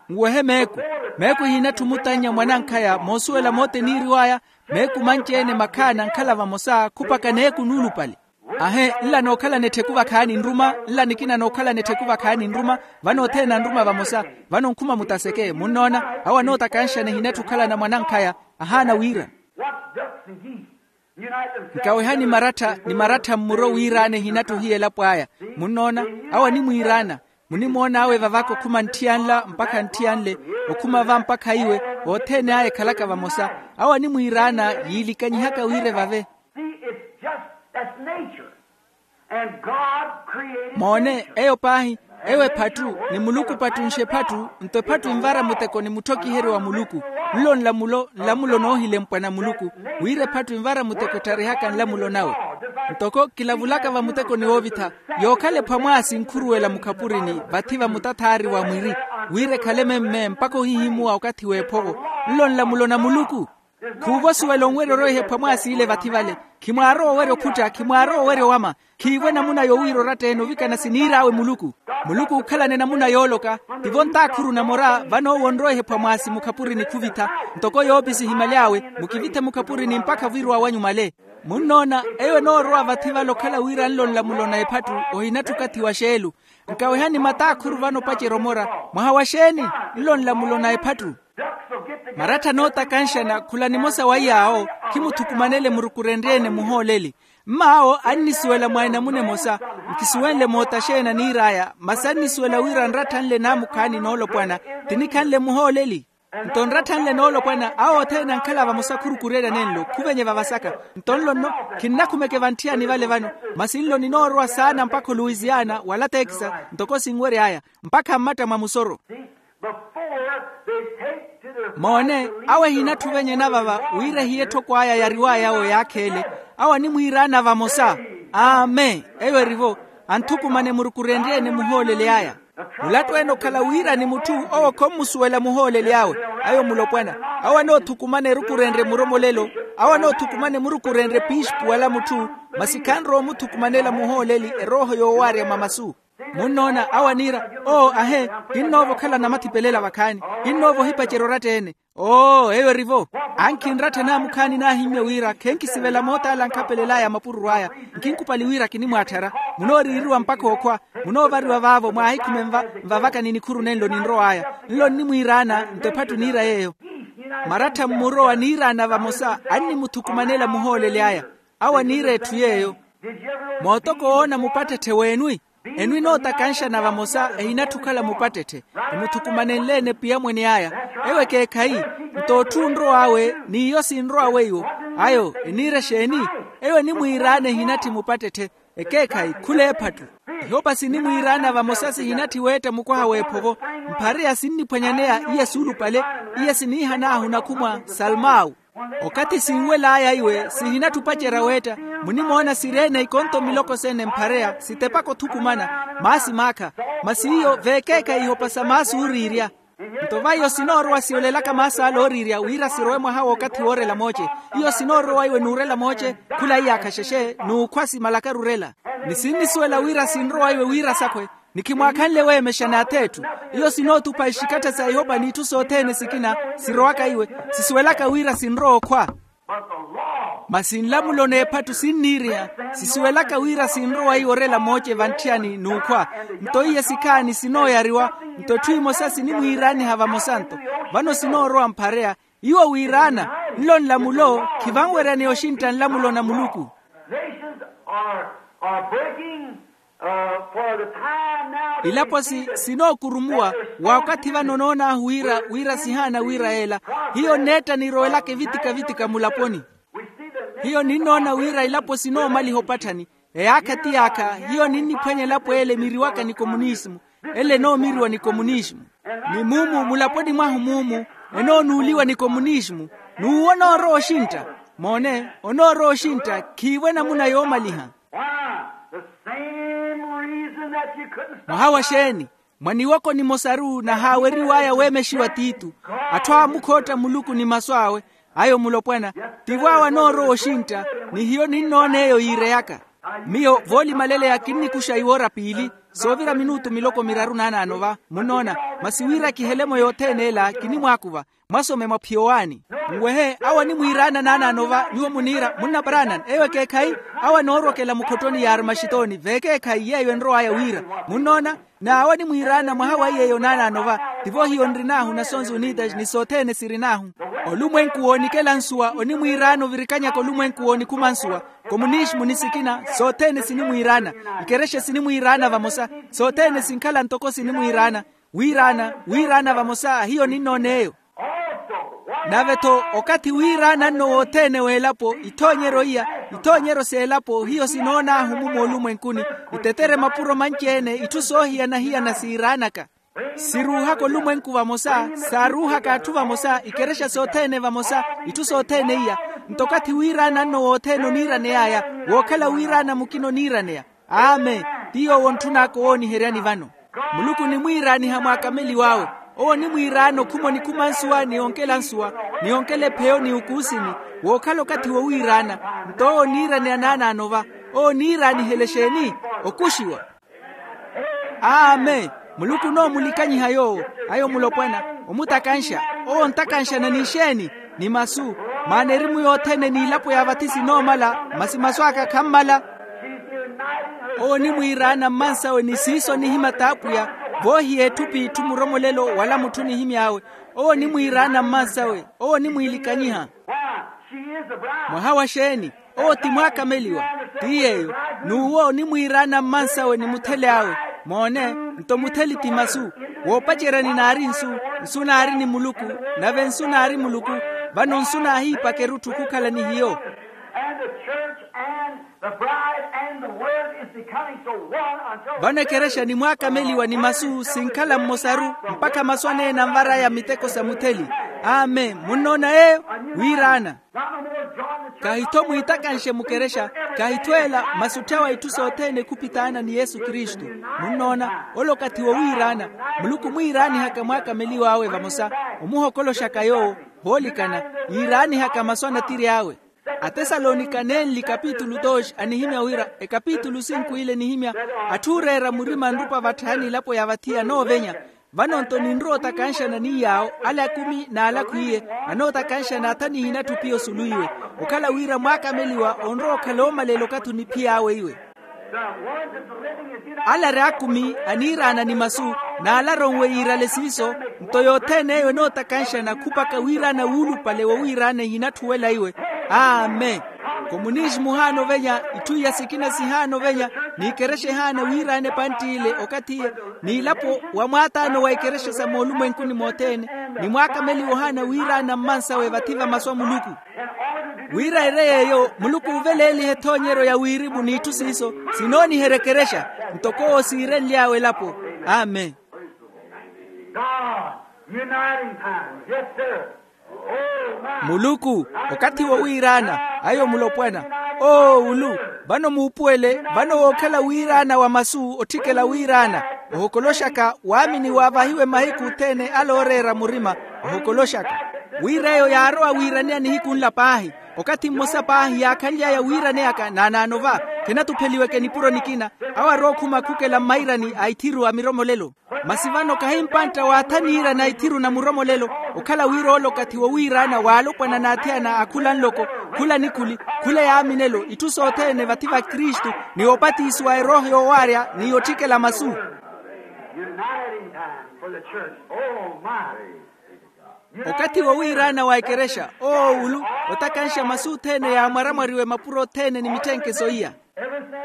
Nwehe meeku. Meeku ehinatthi omutannya mwanankhaya moosuwela moota eniiriw'aya. Meeku manci-ene makhaana ankhala vamosa khupaka neeku nuulupale. Ahe, nla nookhalana ettheku vakhaani nruma, nla nikina nookhalana ettheku vakhaani nruma. Vano othene anruma vamosa. Vano nkhuma mutaseke munnoona. Awo anootakanxana ehinatthi okhalana mwanankhaya. Ahaana wira. Nkawehani marattha ni marattha mmuro wiiraana ehinatthi ohiya elapo aya. Munnoona, awo animwiiraana. Munimoon'awe vavaka okhuma ntthiya nla mpakha ntthiya nle, okhuma va mpakha iwe, othene aya ekhalaka vamosa. Awo animwiiraana yiilikanyihaka wira evave. Moone, eyo paahi, eyo ephattu, ni muluku pattunxe ephattu. Nto ephattu envara muteko ni mutthokiheryo wa muluku. Nlo nlamulo nlamulo noohilempwa na muluku, wira ephattu envara muteko ettharihaka nlamulo nawe. Ntoko kilavulaka vamutekoni woovitha, yookhala ephwamwaasi nkhuruwela mukhapurini vathi va mutathaari wa mwiri, wira ekhale memme mpakha ohihimuwa okathi w'ephovo. Nlo nlamulo na muluku. Khuuva osuwela onwerya orweha ephwamwaasi ile vathi vale. Khimwaarowa owerya okhutta, khimwaarowa owerya owama. Khiivo enamuna yowiira oratta-ene ovikana siniir'awe muluku. Muluku ookhalana enamuna yooloka. Tivo ntaakhuru namora vano owo onrowa ehephwa mwaasi mukhapurini khuvitha. Ntoko yoopisi ehimyaly'awe, mukivithe mukhapurini mpakha vwiiruwa wanyu male. Munnoona, eyo enoorowa vathi vale okhala wira nlo nlamulo na ephattu. Ohinatthi okathi wa xeelu. Nkawehani mataakhuru vano opacerya omora. Mwaha wa xeeni? Nlo nlamulo na ephattu. Marattha anootakanxana khula nimosa wa iy'awo. Khimuthukumanele murukurenrye-ene muhooleli. Mm'awo annisuwela mwa enamuna emosa. Nkisuwenle moota xeeni aniir'aya, masi annisuwela wira nratthanle naamukhaani noolopwana. Ti nikhanle muhooleli. Nto nratthanle noolopwana awo othene ankhala vamosa khurukureerya nenlo khuvenye vavasaka. Nto nlo nno, khinnakhumeke vantthiyani vale vano. Masi nlo ninoorowa saana mpakha oluwisiana wala tekisa. Ntoko sinwery'aya, mpakha mmatta mwa musoro. Moone, awo ehinatthi ovenyena vava wira ehiya etthoko aya yariw'aya awo yaakheele. Awo animwiiraana vamosa. Amen. Eyo erivo. Anthukumane murukurenrye-ene muhooleli aya. Mulattu-ene okhala wira ni mutthu owo khommusuwela muhooleli awe. Ayo mulopwana. Awo anoothukumana erukurenrye muromolelo. Awo anoothukumana emurukurenrye piispu wala mutthu. Masi khanrowa omuthukumanela muhooleli erooho yoowaarya mwa masu. Munnoona awo aniira, oo ahe, kinnoova okhala namathipelela vakhaani. Kinnoova ohipacerya oratta-ene. Oo eyo erivo. Ankhinrattha naamukhaani naahimmye wira khenkisivela moot'ala ankhapelel'aya mapururu aya. Nkinkupali wira kinimwaatthara. Munooriiriwa mpakha okhwa. Munoovariwa vaavo mwaahikhume nvavaka ni nikhuru nenlo ninrow'aya. Nlo nnimwiiraana nto ephattu niira yeeyo. Marattha mmurowa niiraana vamosa annimuthukumanela muhooleli aya. Awo aniira etthu yeeyo. Mootoko woona mupattetthe weenwi. Enu enootakanxana vamosa ehinatthu okhala mupattetthe. Emuthukumanenle-ene piyamwene aya. Eyo ekeekhayi. Nto otthu onrow'awe n'iyo sinrow'awe iwo. Ayo eniira exeeni? Eyo enimwiiraana ehinatthi mupattetthe. Ekeekhayi khula ephattu. Ihopa sinimwiiraana vamosa sihinatthi weetta mukwaha w'ephovo. Mphareya sinniphwanyaneya iya suulupale. Iya siniihan'ahu nakhumwa salmawu. Okathi sinwel'aya iwe sihinatthi opacerya weetta. Munimoona sireene ikonto miloko sene mphareya sitepaka othukumana. Maasi maakha. Masi iyo veekeekhayi ihopa sa maasi ooriirya. Nto va iyo sinoorowa siyolelaka maasi ale ooriirya wira sirowe mwaha w'okathi woorela mooce. Iyo sinoorowa iwe n'urela mooce. Khula iyaakha xexe n'ukhwa simalakaru orela. Ni sinnisuwela wira sinrowa iwe wira sakhwe. Ni khimwaakhanle weemexa n'ath'etthu. Iyo sinootupa ixikattha sa ihopa n'itthu sothene sikina. Sirowaka iwe. Sisuwelaka wira sinrowa okhwa. Masi nlamulo n'ephattu sinniiriha. Sisuwelaka wira sinrowa iwe orela mooce vantthiyani n'ukhwa. Nto iye sikhaani sinooyariwa. Nto etthu emosa sinimwiiraaniha vamosa nto. Vano sinoorowa mphareya. Iwo wiiraana. Nlo nlamulo khivanweryaneya oxintta nlamulo na muluku. Nations are, are breaking, uh, for the time now. Ilapo si sinookurumuwa. Wa okathi vano onoon'ahu wira wira sihaana wira yeela. Hiyo nneetta nirowelaka evitika-vitika mulaponi. Hiyo ninnoona wira ilapo sinoomaliha opatthani. Eyaakha ti yaakha. Hiyo ninniphwanya elapo ele emiriwaka ni komunisimu. Ele enoomiriwa ni komunisimu. Ni mumu mulaponi mwahu mumu enoonuuliwa ni komunisimu. N'uwo onoorowa oxintta. Moone, onoorowa oxintta khiivo enamuna yoomaliha. Why? The same reason that you couldn't stop. Mwaha wa xeeni? Mwa niwoko nimosaru nahaaweriw'aya weemexiwa tiitu. Atthu aamukhootta muluku ni masu awe. Ayo mulopwana. Tivo awe anoorowa oxintta. Ni hiyo ninnoon'eyo yiireyaka. Miyo voolimaleleya kinnikuxa iwoora piili. Soovira minutu miloko miraru naanaano va munnoona. Masi wira kihele-mo yothene ela kinimwaakuva. Mwasome mwa phiyo waani. Nwehe awo animwiiraana naanaano va nyuwo muniira munna paranan eyo ekeekhayi. Awo anoorwokela mukhottoni ya armaxitoni veekeekhayi yeeyo enrow'aya wira. Munnoona. N'awo animwiiraana mwaha wa iy'eyo naanaano va. Tivo hiyo nrin'ahu nasons unitas ni sothene sirin'ahu. Olumwenku woonikela nsuwa onimwiiraana ovirikanyaka olumwenku woonikhuma nsuwa. Komunisimu ni sikina sothene sinimwiiraana. Ikerexa sinimwiiraana vamosa. Sothene sinkhala ntoko sinimwiiraana. Wiiraana wiiraana vamosa hiyo ninnoon'eyo. Nave-tho okathi wiiraana nno wothene w'elapo ithoonyeryo iya ithoonyeryo s'elapo hiyo sinoon'ahu-mu moolumwenkuni. Itetere mapuro manci-ene itthu soohiyana-hiyana siiraanaka. Siruuhaka olumwenku vamosa saaruuhaka atthu vamosa ikerexa sothene vamosa. Itthu sothene iya nto okathi wiiraana nno wothene oniiraney'aya wookhala wiiraana mukina oniiraneya. Amen. Ti yoowo ontthun'aka owooniheryani vano. Muluku onimwiiraaniha mwaakameliw'awe. Owo onimwiiraana okhuma onikhuma nsuwa ni onkela nsuwa ni onkela epheyo ni ukuusini wookhala okathi wowiiraana. Nto owo oniiraneya naanaano va. Owo oniiraanihela exeeni? Okuxiwa. Amen. Muluku onoomulikanyiha yoowo. Ayo mulopwana omutakanxa. Owo ontakanxana n'ixeeni? Ni masu. Maana erimu yothene n'ilapo ya vathi sinoomala. Masi masu aka khammala. Owo onimwiiraana mmansawe ni siiso onihimya t'apwiya. Voohiya etthu p'itthu muromolelo wala mutthu onihimy'awe. Owo onimwiiraana mmansawe. Owo onimwiilikanyiha. Mwaha wa xeeni? Owo ti mwaakameliwa. Ti yeeyo. N'uwo onimwiiraana mmansawe ni mutheli awe. Moone. Nto mutheli ti masu. Woopaceryani naari nsu. Nsu naari ni muluku. Nave nsu naari muluku. Vano nsu naahiipaka erutthu khukhala ni hiyo. Vano ekerexa ni mwaakameliwa ni masu sinkhala mmosaru. Mpakha masu aneene anvar'aya miteko sa mutheli. Amen munnoona yeeyo. Wiiraana. Kahi-tho mwiitakanxe mukerexa. Kahi-tho ela masi otthyawa itthu sothene khupitaana ni yesu kristu. Munnoona ole okathi wowiiraana. Muluku mwiiraanihaka mwaakameliw'awe vamosa. Omuhokoloxaka yoowo. Voolikana yiiraanihaka masu a natiri awe. Atesalonika nenli kapitulu dos anihimya wira ekapitulu sinku ile enihimya. Atthu ooreera murima nrupa vatthaya n'ilapo ya vathi anoovenya. Vano-nto ninrowa otakanxana ni yaawo ale akumi n'ale akhwiiye. Anootakanxana atha nihinatthu piyo sulu iwe. Okhala wira mwaakameliwa onrowa okhala oomalela okathi oniphiy'awe iwe. Ale ari akumi aniiraana ni masu. N'ale aronwe yiirale siiso. Nto yothene eyo enootakanxana khupaka wiiraana wuulupale wowiiraana ehinatthuwela iwe. Amen. Komunixi muhaana ovenya, itthu iya sikina sihaana ovenya, n'ikerexa ehaana wiiraana epantti ile okathi iye, n'ilapo wa mwaataano wa ikerexa sa moolumwenkuni mothene, ni mwaakameliwa ohaana wiiraana mmansawe vathi va masu a muluku. Wira ere yeeyo muluku ooveleelihe ethoonyeryo ya wirimu n'itthu siiso, sinooniherya ekerexa, ntoko owo siirenly'awe elapo. Amen. God, uniting time. Yes, sir. Oh, my. Muluku, okathi wowiiraana, ayo mulopwana. Oo ulu, vano muupuwele, vano wookhala wiiraana wa masu otthikela wiiraana, ohokoloxaka waamini waavahiwe mahiku othene ale ooreera murima, ohokoloxaka. Wira eyo yaarowa wiiraneya nihiku nla paahi. Okathi mmosa paahi yaakhanly'aya wiiraneyaka naanaano va, khenatupheliweke nipuro nikina, awo arookhuma khukela mmairani a ithiru a miromolelo. Masi vano kahi mpantta waathaniira na ithiru na muromolelo, okhala wira ole okathi wowiiraana waalopwana n'athiyana a khula nloko, khula nikhuli, khula yaaminelo, itthu sothene vathi va kristu, ni opatisiwa erooho yoowaarya ni yotthikela masu. Uniting time for the church. Oh, my. Okathi wowiiraana wa ekerexa, oowulu, otakanxa masu othene yaamwaramwariwe mapuro othene ni mitthenkeso iya.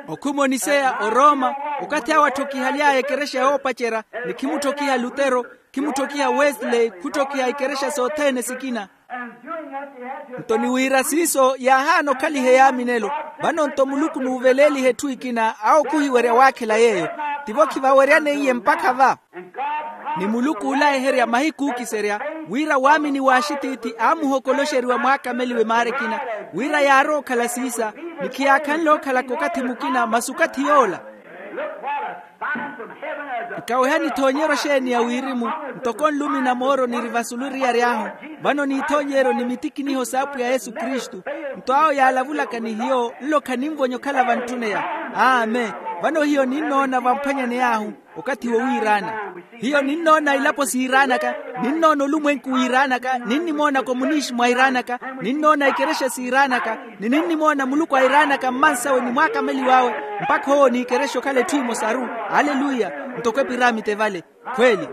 Okhuma oniseya orooma, okathi awo atthokihali'aya ekerexa yoopacerya, ni khimutthokiha lutero, khimutthokiha wesley, khutthokiha ikerexa sothene sikina. Nto ni wira siiso yaahaana okhaliha eyaaminelo. Vano nto muluku n'uveleeliha etthu ekina awo khuhiwerya waakhela yeeyo. Tivo khivaweryane iye mpakha va. Ni muluku oolayiherya mahiku ookiserya, wira waamini w'axitiithi aamuhokoloxeriwa mwaakameliwe maara ekina, wira yaarowa okhala siisa, ni khiyaakhanle okhalaka okathi mukina masi okathi yoola. Nkawehani ethoonyeryo xeeni ya wirimu, ntoko nlumi na mooro niri vasulu eriyari ahu, vano n'ithoonyeryo ni mitikiniho s'apwiya yesu kristu. Nto awo yaalavulaka ni hiyo nlo khaninvonya okhala vantthuneya. Amen. Vano hiyo ninnoona vamphwanyaney'ahu, okathi wowiiraana. Hiyo ninnoona ilapo siiraanaka, ninnoona olumwenku wiiraanaka, ninnimoona komunixi mwairaanaka, ninnoona ikerexa siiraanaka, ni ninnimoona muluku airaanaka mmansawe ni mwaakameliw'awe, mpakha owo n'ikerexa okhala etthu emosaru. Aleluya. Ntoko epiramite vale. Khweeli,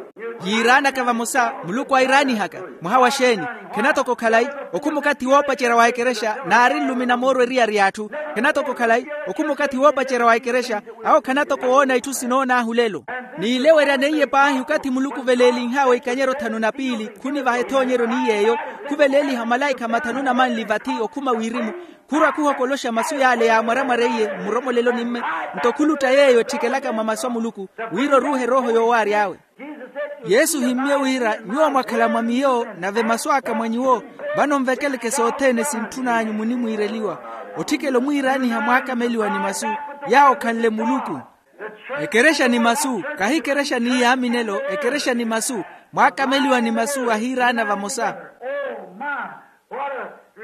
yiiraanaka vamosa, muluku airaanihaka. Mwaha wa xeeni? Khenatoko khalayi. Okhuma okathi woopacerya wa ekerexa naari nlumi na mooro eriyari y'atthu. Khenatoko khalayi. Okhuma okathi woopacerya wa ekerexa, awo khanatoko woona itthu sinoon'ahu lelo. N'ileweryane iye paahi okathi muluku oveleelinh'awe ikanyeryo thanu na piili khunivaha ethoonyeryo ni yeeyo, khuveleeliha malaikha mathanu na manli vathi okhuma wirimu, khurwa khuhokoloxa masu yaale yaamwaramwara iye mmuromoleloni mme. Nto khulutta yeeyo etthikelaka mwa masu a muluku, wira oruuhe erooho yoowaary'awe. Yesu ohimmye wira, nyuwo mwakhala mwa miyo, nave masu aka mwa nyuwo, vano nvekeleke sothene sintthun'anyu munimwiireliwa. Otthikela omwiiraaniha mwaakameliwa ni masu, yaawo khanle muluku. Ekerexa ni masu, kahi ekerexa ni yaaminelo, ekerexa ni masu, mwaakameliwa ni masu ahiiraana vamosa.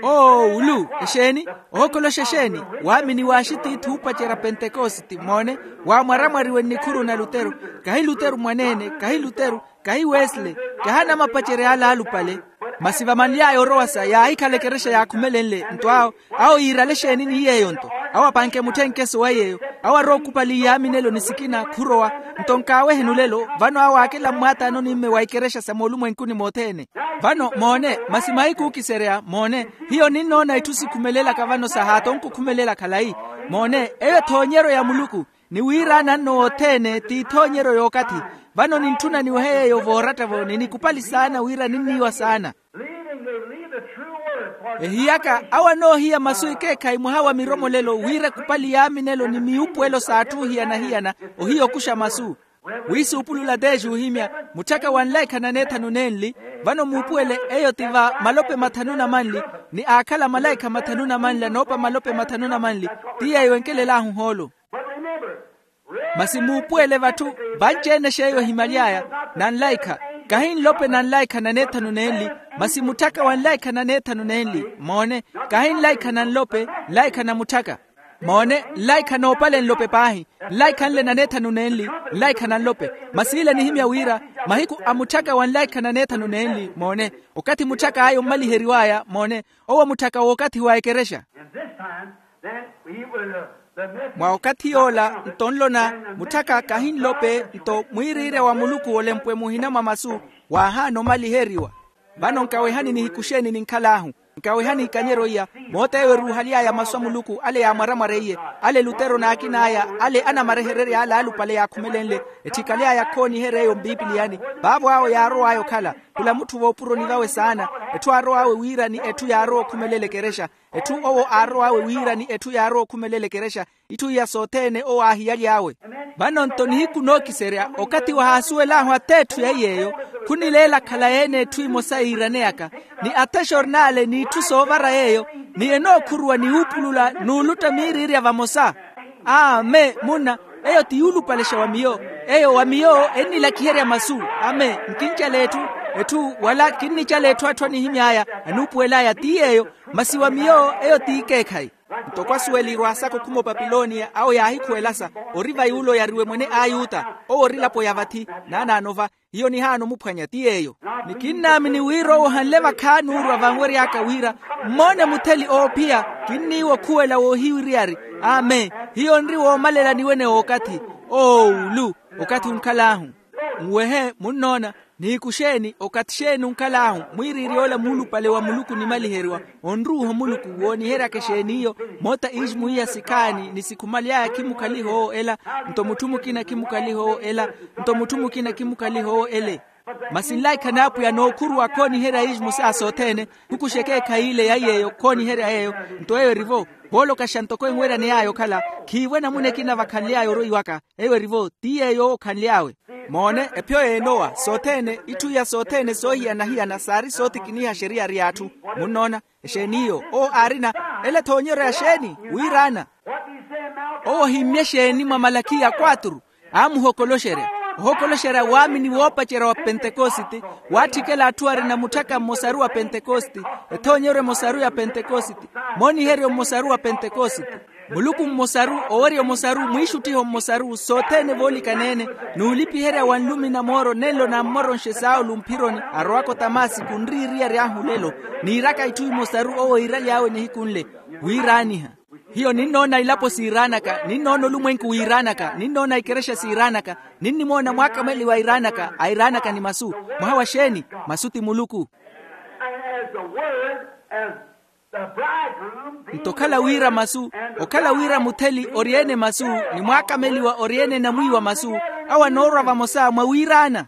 Oo ulu exeeni? Ohokoloxa exeeni? Waamini w'axitiithi oopacerya pentekositi moone, waamwaramwariwe nnikhuru na lutero. Kahi lutero mwaneene, kahi lutero, kahi wesley, kahi anamapacerya ale alupale. Masi vamanly'aya orowasa yaahikhala ekerexa yaakhumelenle nto awo, awo yiirale exeeni ni yeeyo nto? Awo apanke mutthenkeso wa yeeyo, awo arowa okupali yaaminelo ni sikina khurowa. Nto nkaaweheni olelo vano awo aakela mmwaataanoni mme wa ikerexa sa moolumwenkuni mothene. Vano moone, masi mahiku ookiserya moone, hiyo ninnoona itthu sikhumelelaka vano sahaato onkukhumelela khalayi. Moone, eyo ethoonyeryo ya muluku, ni wiiraana nno wothene t'ithoonyeryo y'okathi. Vano nintthuna niwehe yeeyo vooratta-vo ni nikupali saana wira ninniiwa saana. Ehiyaka awo anoohiya masu ekeekhayi mwaha wa miromolelo wira ekupali yaaminelo ni miupuwelo s'atthu ohiyana-hiyana, ohiya okuxa masu. Wiisuupulula teexa ohimya, mutthaka wa nlaikha na neethanu nenli. Vano muupuwele, eyo ti va malope mathanu na manli, ni aakhala malaikha mathanu na manli anoopa malope mathanu na manli. Ti yeeyo enkelel'ahu hoolo. Masi muupuwele vatthu, vanci-ene x'eyo ehimaly'aya, na nlaikha, kahi nlope na nlaikha na neethanu nenli, masi mutthaka wa nlaikha na neethanu nenli. Moone, kahi nlaikha na nlope, nlaikha na mutthaka. Moone, nlaikha noopale nlope paahi, nlaikha nle na neethanu nenli, nlaikha na nlope. Masi ile enihimya wira, mahiku a mutthaka wa nlaikha na neethanu nenli moone, okathi mutthaka aya ommaliheriw'aya moone, owo mutthaka w'okathi wa ekerexa. Mwa okathi yoola nto nlona, mutthaka kahi nlope nto mwiiriirya wa muluku olempwe muhina mwa masu, waahaana omaliheriwa. Vano nkawehani nihiku xeeni ninkhal'ahu. Nkawehani ikanyeryo iya, moota eyo eruuhaly'aya masu a muluku ale yaamwaramwar'eiye, ale lutero n'akin'aya ale anamarehererya ale alupale yaakhumelenle, etthikaly'aya khooniherya eyo mpipiliyani. Vaavo awo yaarow'aya okhala khula mutthu voopuroni vawe saana. Etthu aarow'awe wira ni etthu yaarowa okhumelela ekerexa. Etthu owo aarow'awe wira ni etthu yaarowa okhumelela ekerexa. Itthu iya sothene owo aahiyaly'awe. Vano-nto nihiku nookiserya okathi wahaasuwel'ahu atheetthu ya iy'eyo, khunileela khalayi-ene etthu emosa yiiraneyaka, ni athexori n'ale n'itthu soovara yeeyo, ni enookhuruwa ni wuupulula n'ulutta miiriirya vamosa. Amen munna. Eyo ti yuulupalexa wa miyo. Eyo wa miyo ennilakiherya masu. Amen. Nkincala etthu, etthu wala kinnicala etthu atthu anihimy'aya anuupuwel'aya ti yeeyo. Masi wa miyo eyo ti ikeekhayi. Ntoko asuweliwa asaka okhuma opapiloniya awo yaahikhuwelasa, ori va yuula oyariwe mwene a ayuta, owo ori elapo ya vathi. Naanaano va, hiyo nihaana omuphwanya ti yeeyo. Ni kinnaamini wira owo ohanle vakhaani oorwa vanwery'aka wira mmoone mutheli oophiya. Kinniiwa okhuwela woohiwiriyari. Amen. Hiyo nri woomalela niwene w'okathi. Oowulu. Okathi onkhal'ahu. Nwehe munnoona. Nihiku xeeni okathi xeeni onkhal'ahu? Mwiiriiry'ola muulupale wa muluku onimaliheriwa, onruuha muluku wooniheryaka exeeni iyo. Moota iixmu iya sikhaani ni sikhumaly'aya khimukhaliha owo ela, nto mutthu mukina khimukhaliha owo ela, nto mutthu mukina khimukhaliha owo ele. Masi nlaikha n'apwiya nookhuruwa khooniherya iixmu saa sothene. Khukuxeke ekhayile ya yeeyo khooniherya yeeyo. Nto eyo erivo, voolokaxa ntoko enweraney'aya okhala, khiivo enamuna ekina vakhanly'aya oroiwaka. Eyo erivo ti yeeyo owo okhanly'awe. Moone, ephiyo y'enowa sothene itthu iya sothene soohiyana-hiyana saari sootikiniha xeriyari y'atthu. Munnoona? Exeeni iyo owo aarina? Ele thoonyeryo ya xeeni? Wiiraana. Owo ohimmye xeeni mwa malakiya quatro? Aamuhokoloxerya, ohokoloxerya waamini woopacerya wa pentekositi, waatthikela atthu arina mutthaka mmosaru wa pentekositi, ethoonyeryo emosaru ya pentekositi, mooniheryo mmosaru wa pentekositi, muluku mmosaru, owerya omosaru, mwiixuttiho mmosaru sothene voolikana-ene, n'ulipiherya wa nlumi na mooro nenlo nammoronxe saulu mphironi arowaka otamasiku nriiriyary'ahu olelo, niiraka itthu imosaru owo iiraly'awe nihiku nle. Wiiraaniha. Hiyo ninnoona ilapo siiraanaka, ninnoona olumwenku wiiraanaka, ninnoona ikerexa siiraanaka, ninnimoona mwaakameliwa airaanaka airaanaka ni masu. Mwaha wa xeeni? Masu ti muluku. And as the word, as the bridegroom being nto okhala wira masu, okhala wira mutheli ori-ene masu, ni mwaakameliwa ori-ene enamwiiwa masu, awo anoorwa vamosa mwa wiiraana.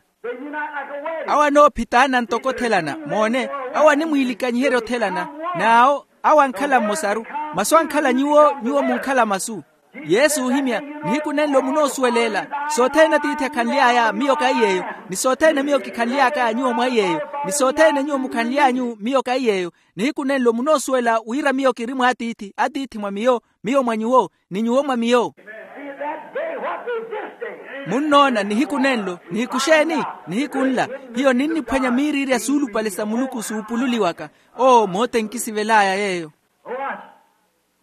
Awo anoophitaana ntoko othelana moone. Awo animwiilikanyiherya othelana. N'awo awo ankhala mmosaru. Masu ankhala nyuwo, nyuwo munkhala masu. Yesu oohimya, nihiku nenlo munoosuweleela. Sothene atiithi akhanly'aya miyo kahi yeeyo, ni sothene miyo kikhanly'aka nyuwo mwahi yeeyo, ni sothene nyuwo mukhanly'anyu miyo kahi yeeyo. Nihiku nenlo munoosuwela wira miyo kiri mw'atiithi, atiithi mwa miyo, miyo mwa nyuwo, ni nyuwo mwa miyo. Munnoona nihiku nenlo nihiku xeeni? Nihiku nla. Hiyo ninniphwanya miiriirya suulupale sa muluku suupululiwaka. Oo moota enkisivel'aya yeeyo.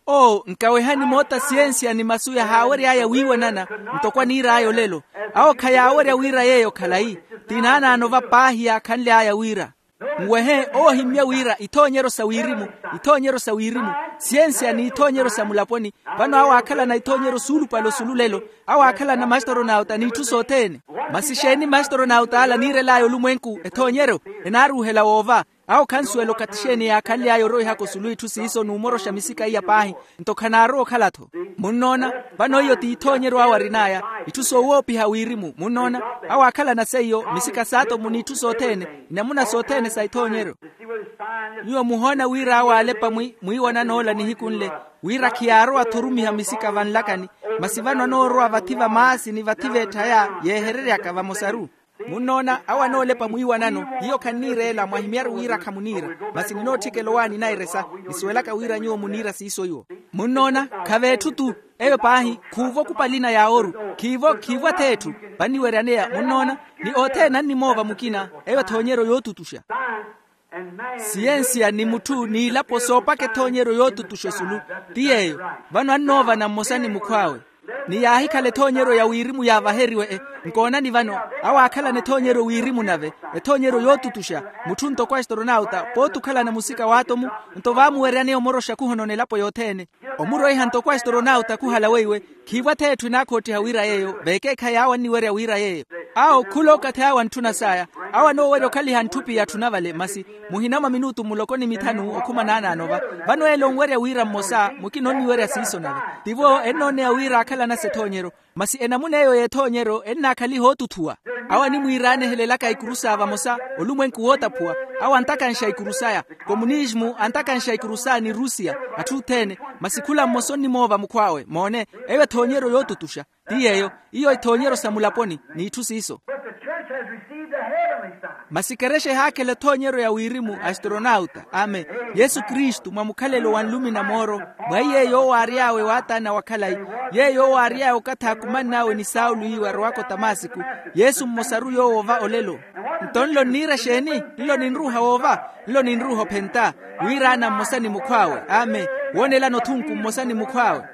Oo nkawehani moota siyensiya ni masu yahaawery'aya wiiwanana, ntoko aniir'aya olelo. Awo khayaawerya wira yeeyo khalayi. Ti naanaano va paahi yaakhanly'aya wira. Nwehe owo ohimmye wira ithoonyeryo sa wirimu, ithoonyeryo sa wirimu, siyensiya n'ithoonyeryo sa mulaponi. Vano awo aakhalana ithoonyeryo suulupale osulu lelo. Awo aakhalana mastoronauta n'itthu sothene. Masi xeeni mastoronauta ala aniirel'aya olumwenku ethoonyeryo? Enaaruuhela woova. Awo khansuwela okathi xeeni yaakhanly'aya oroihaka osulu itthu siiso n'umoroxa misika iya paahi. Nto khanaarowa okhala-tho. Munnoona? Vano iyo ti ithoonyeryo awo arin'aya. Itthu soowoopiha wirimu munnoona. Awo aakhalana seiyo misika saato muni itthu sothene, inamuna sothene sa ithoonyeryo. Nyuwo muhoona wira awo aalepa mwi mwiiwanan'ola nihiku nle, wira khiyaarowa athurumiha misika vanlakani. Masi vano anoorowa vathi va maasi ni vathi v'etthaya yeehereryaka vamosaru. Munnoona awo anoolepa mwiiwanano. Hiyo khanniireela mwahimyaru wira khamuniira. Masi ninootthikela owaani nairesa. Nisuwelaka wira nyuwo muniira siiso iwo. Munnoona? Khav'etthu-tu. Eyo paahi. Khuuvo kupalina yaaworu. Khiivo khiivo ath'etthu. Vanniweryaneya munnoona. Ni othene annimoova mukina. Eyo ethoonyeryo yootutuxa. Siyensiya ni mutthu n'ilapo soopaka ethoonyeryo yootutuxa osulu. Ti yeeyo. Vano annoovana mmosa ni mukhw'awe. Ni yaahikhala ethoonyeryo ya wirimu yaavaheriwe. Nkoonani vano, awo aakhalana ethoonyeryo wirimu nave, ethoonyeryo yootutuxa, mutthu ntoko astronauta pooti okhalana musika w'atomu. Nto vaamuweryaneya omoroxa khuhonona elapo yothene, omurweiha ntoko astronauta khuhala weiwe. Khiivo ath'etthu enaakhottiha wira yeeyo veekeekhayi awo anniwerya wira yeeyo. Awo khula okathi awo antthuna saya, awo anoowerya okhaliha ntthupi ya tthuna vale masi muhina mwa minutu muloko ni mithanu okhuma naanaano va. Vano ele onwerya wira mmosa mukina onniwerya siiso nave. Tivo ennooneya wira aakhalanasa ethoonyeryo, masi enamuna eyo y'ethoonyeryo ennaakhaliha ootuthuwa. Awo animwiiraane ehelelaka ikurusa vamosa, olumwenku wootaphuwa, awo antakanxa ikurusa aya, komunismu antakanxa ikurusa ni rusiya, atthu othene. Masi khula mmosa onnimoova mukhw'awe moone, eyo ethoonyeryo yootutuxa. Ti yeeyo, iyo ithoonyeryo sa mulaponi, n'itthu siiso. Masi kerexa ehaakhela ethoonyeryo ya wirimu astronauta. Amen. Yesu kristu mwa mukhalelo wa nlumi na mooro, mwa iye yoowo aary'awe waataana wa khalayi, yeeyo yoowo aary'awe okathi aakumann'awe ni saulo iwo arowaka otamasiku. Yesu mmosaru yoowo va olelo. Nto nlo nniira exeeni? Nlo ninruuha woova? Nlo ninruuha ophenta, wiiraana mmosa ni mukhw'awe. Amen. Woonelana othunku mmosa ni mukhw'awe.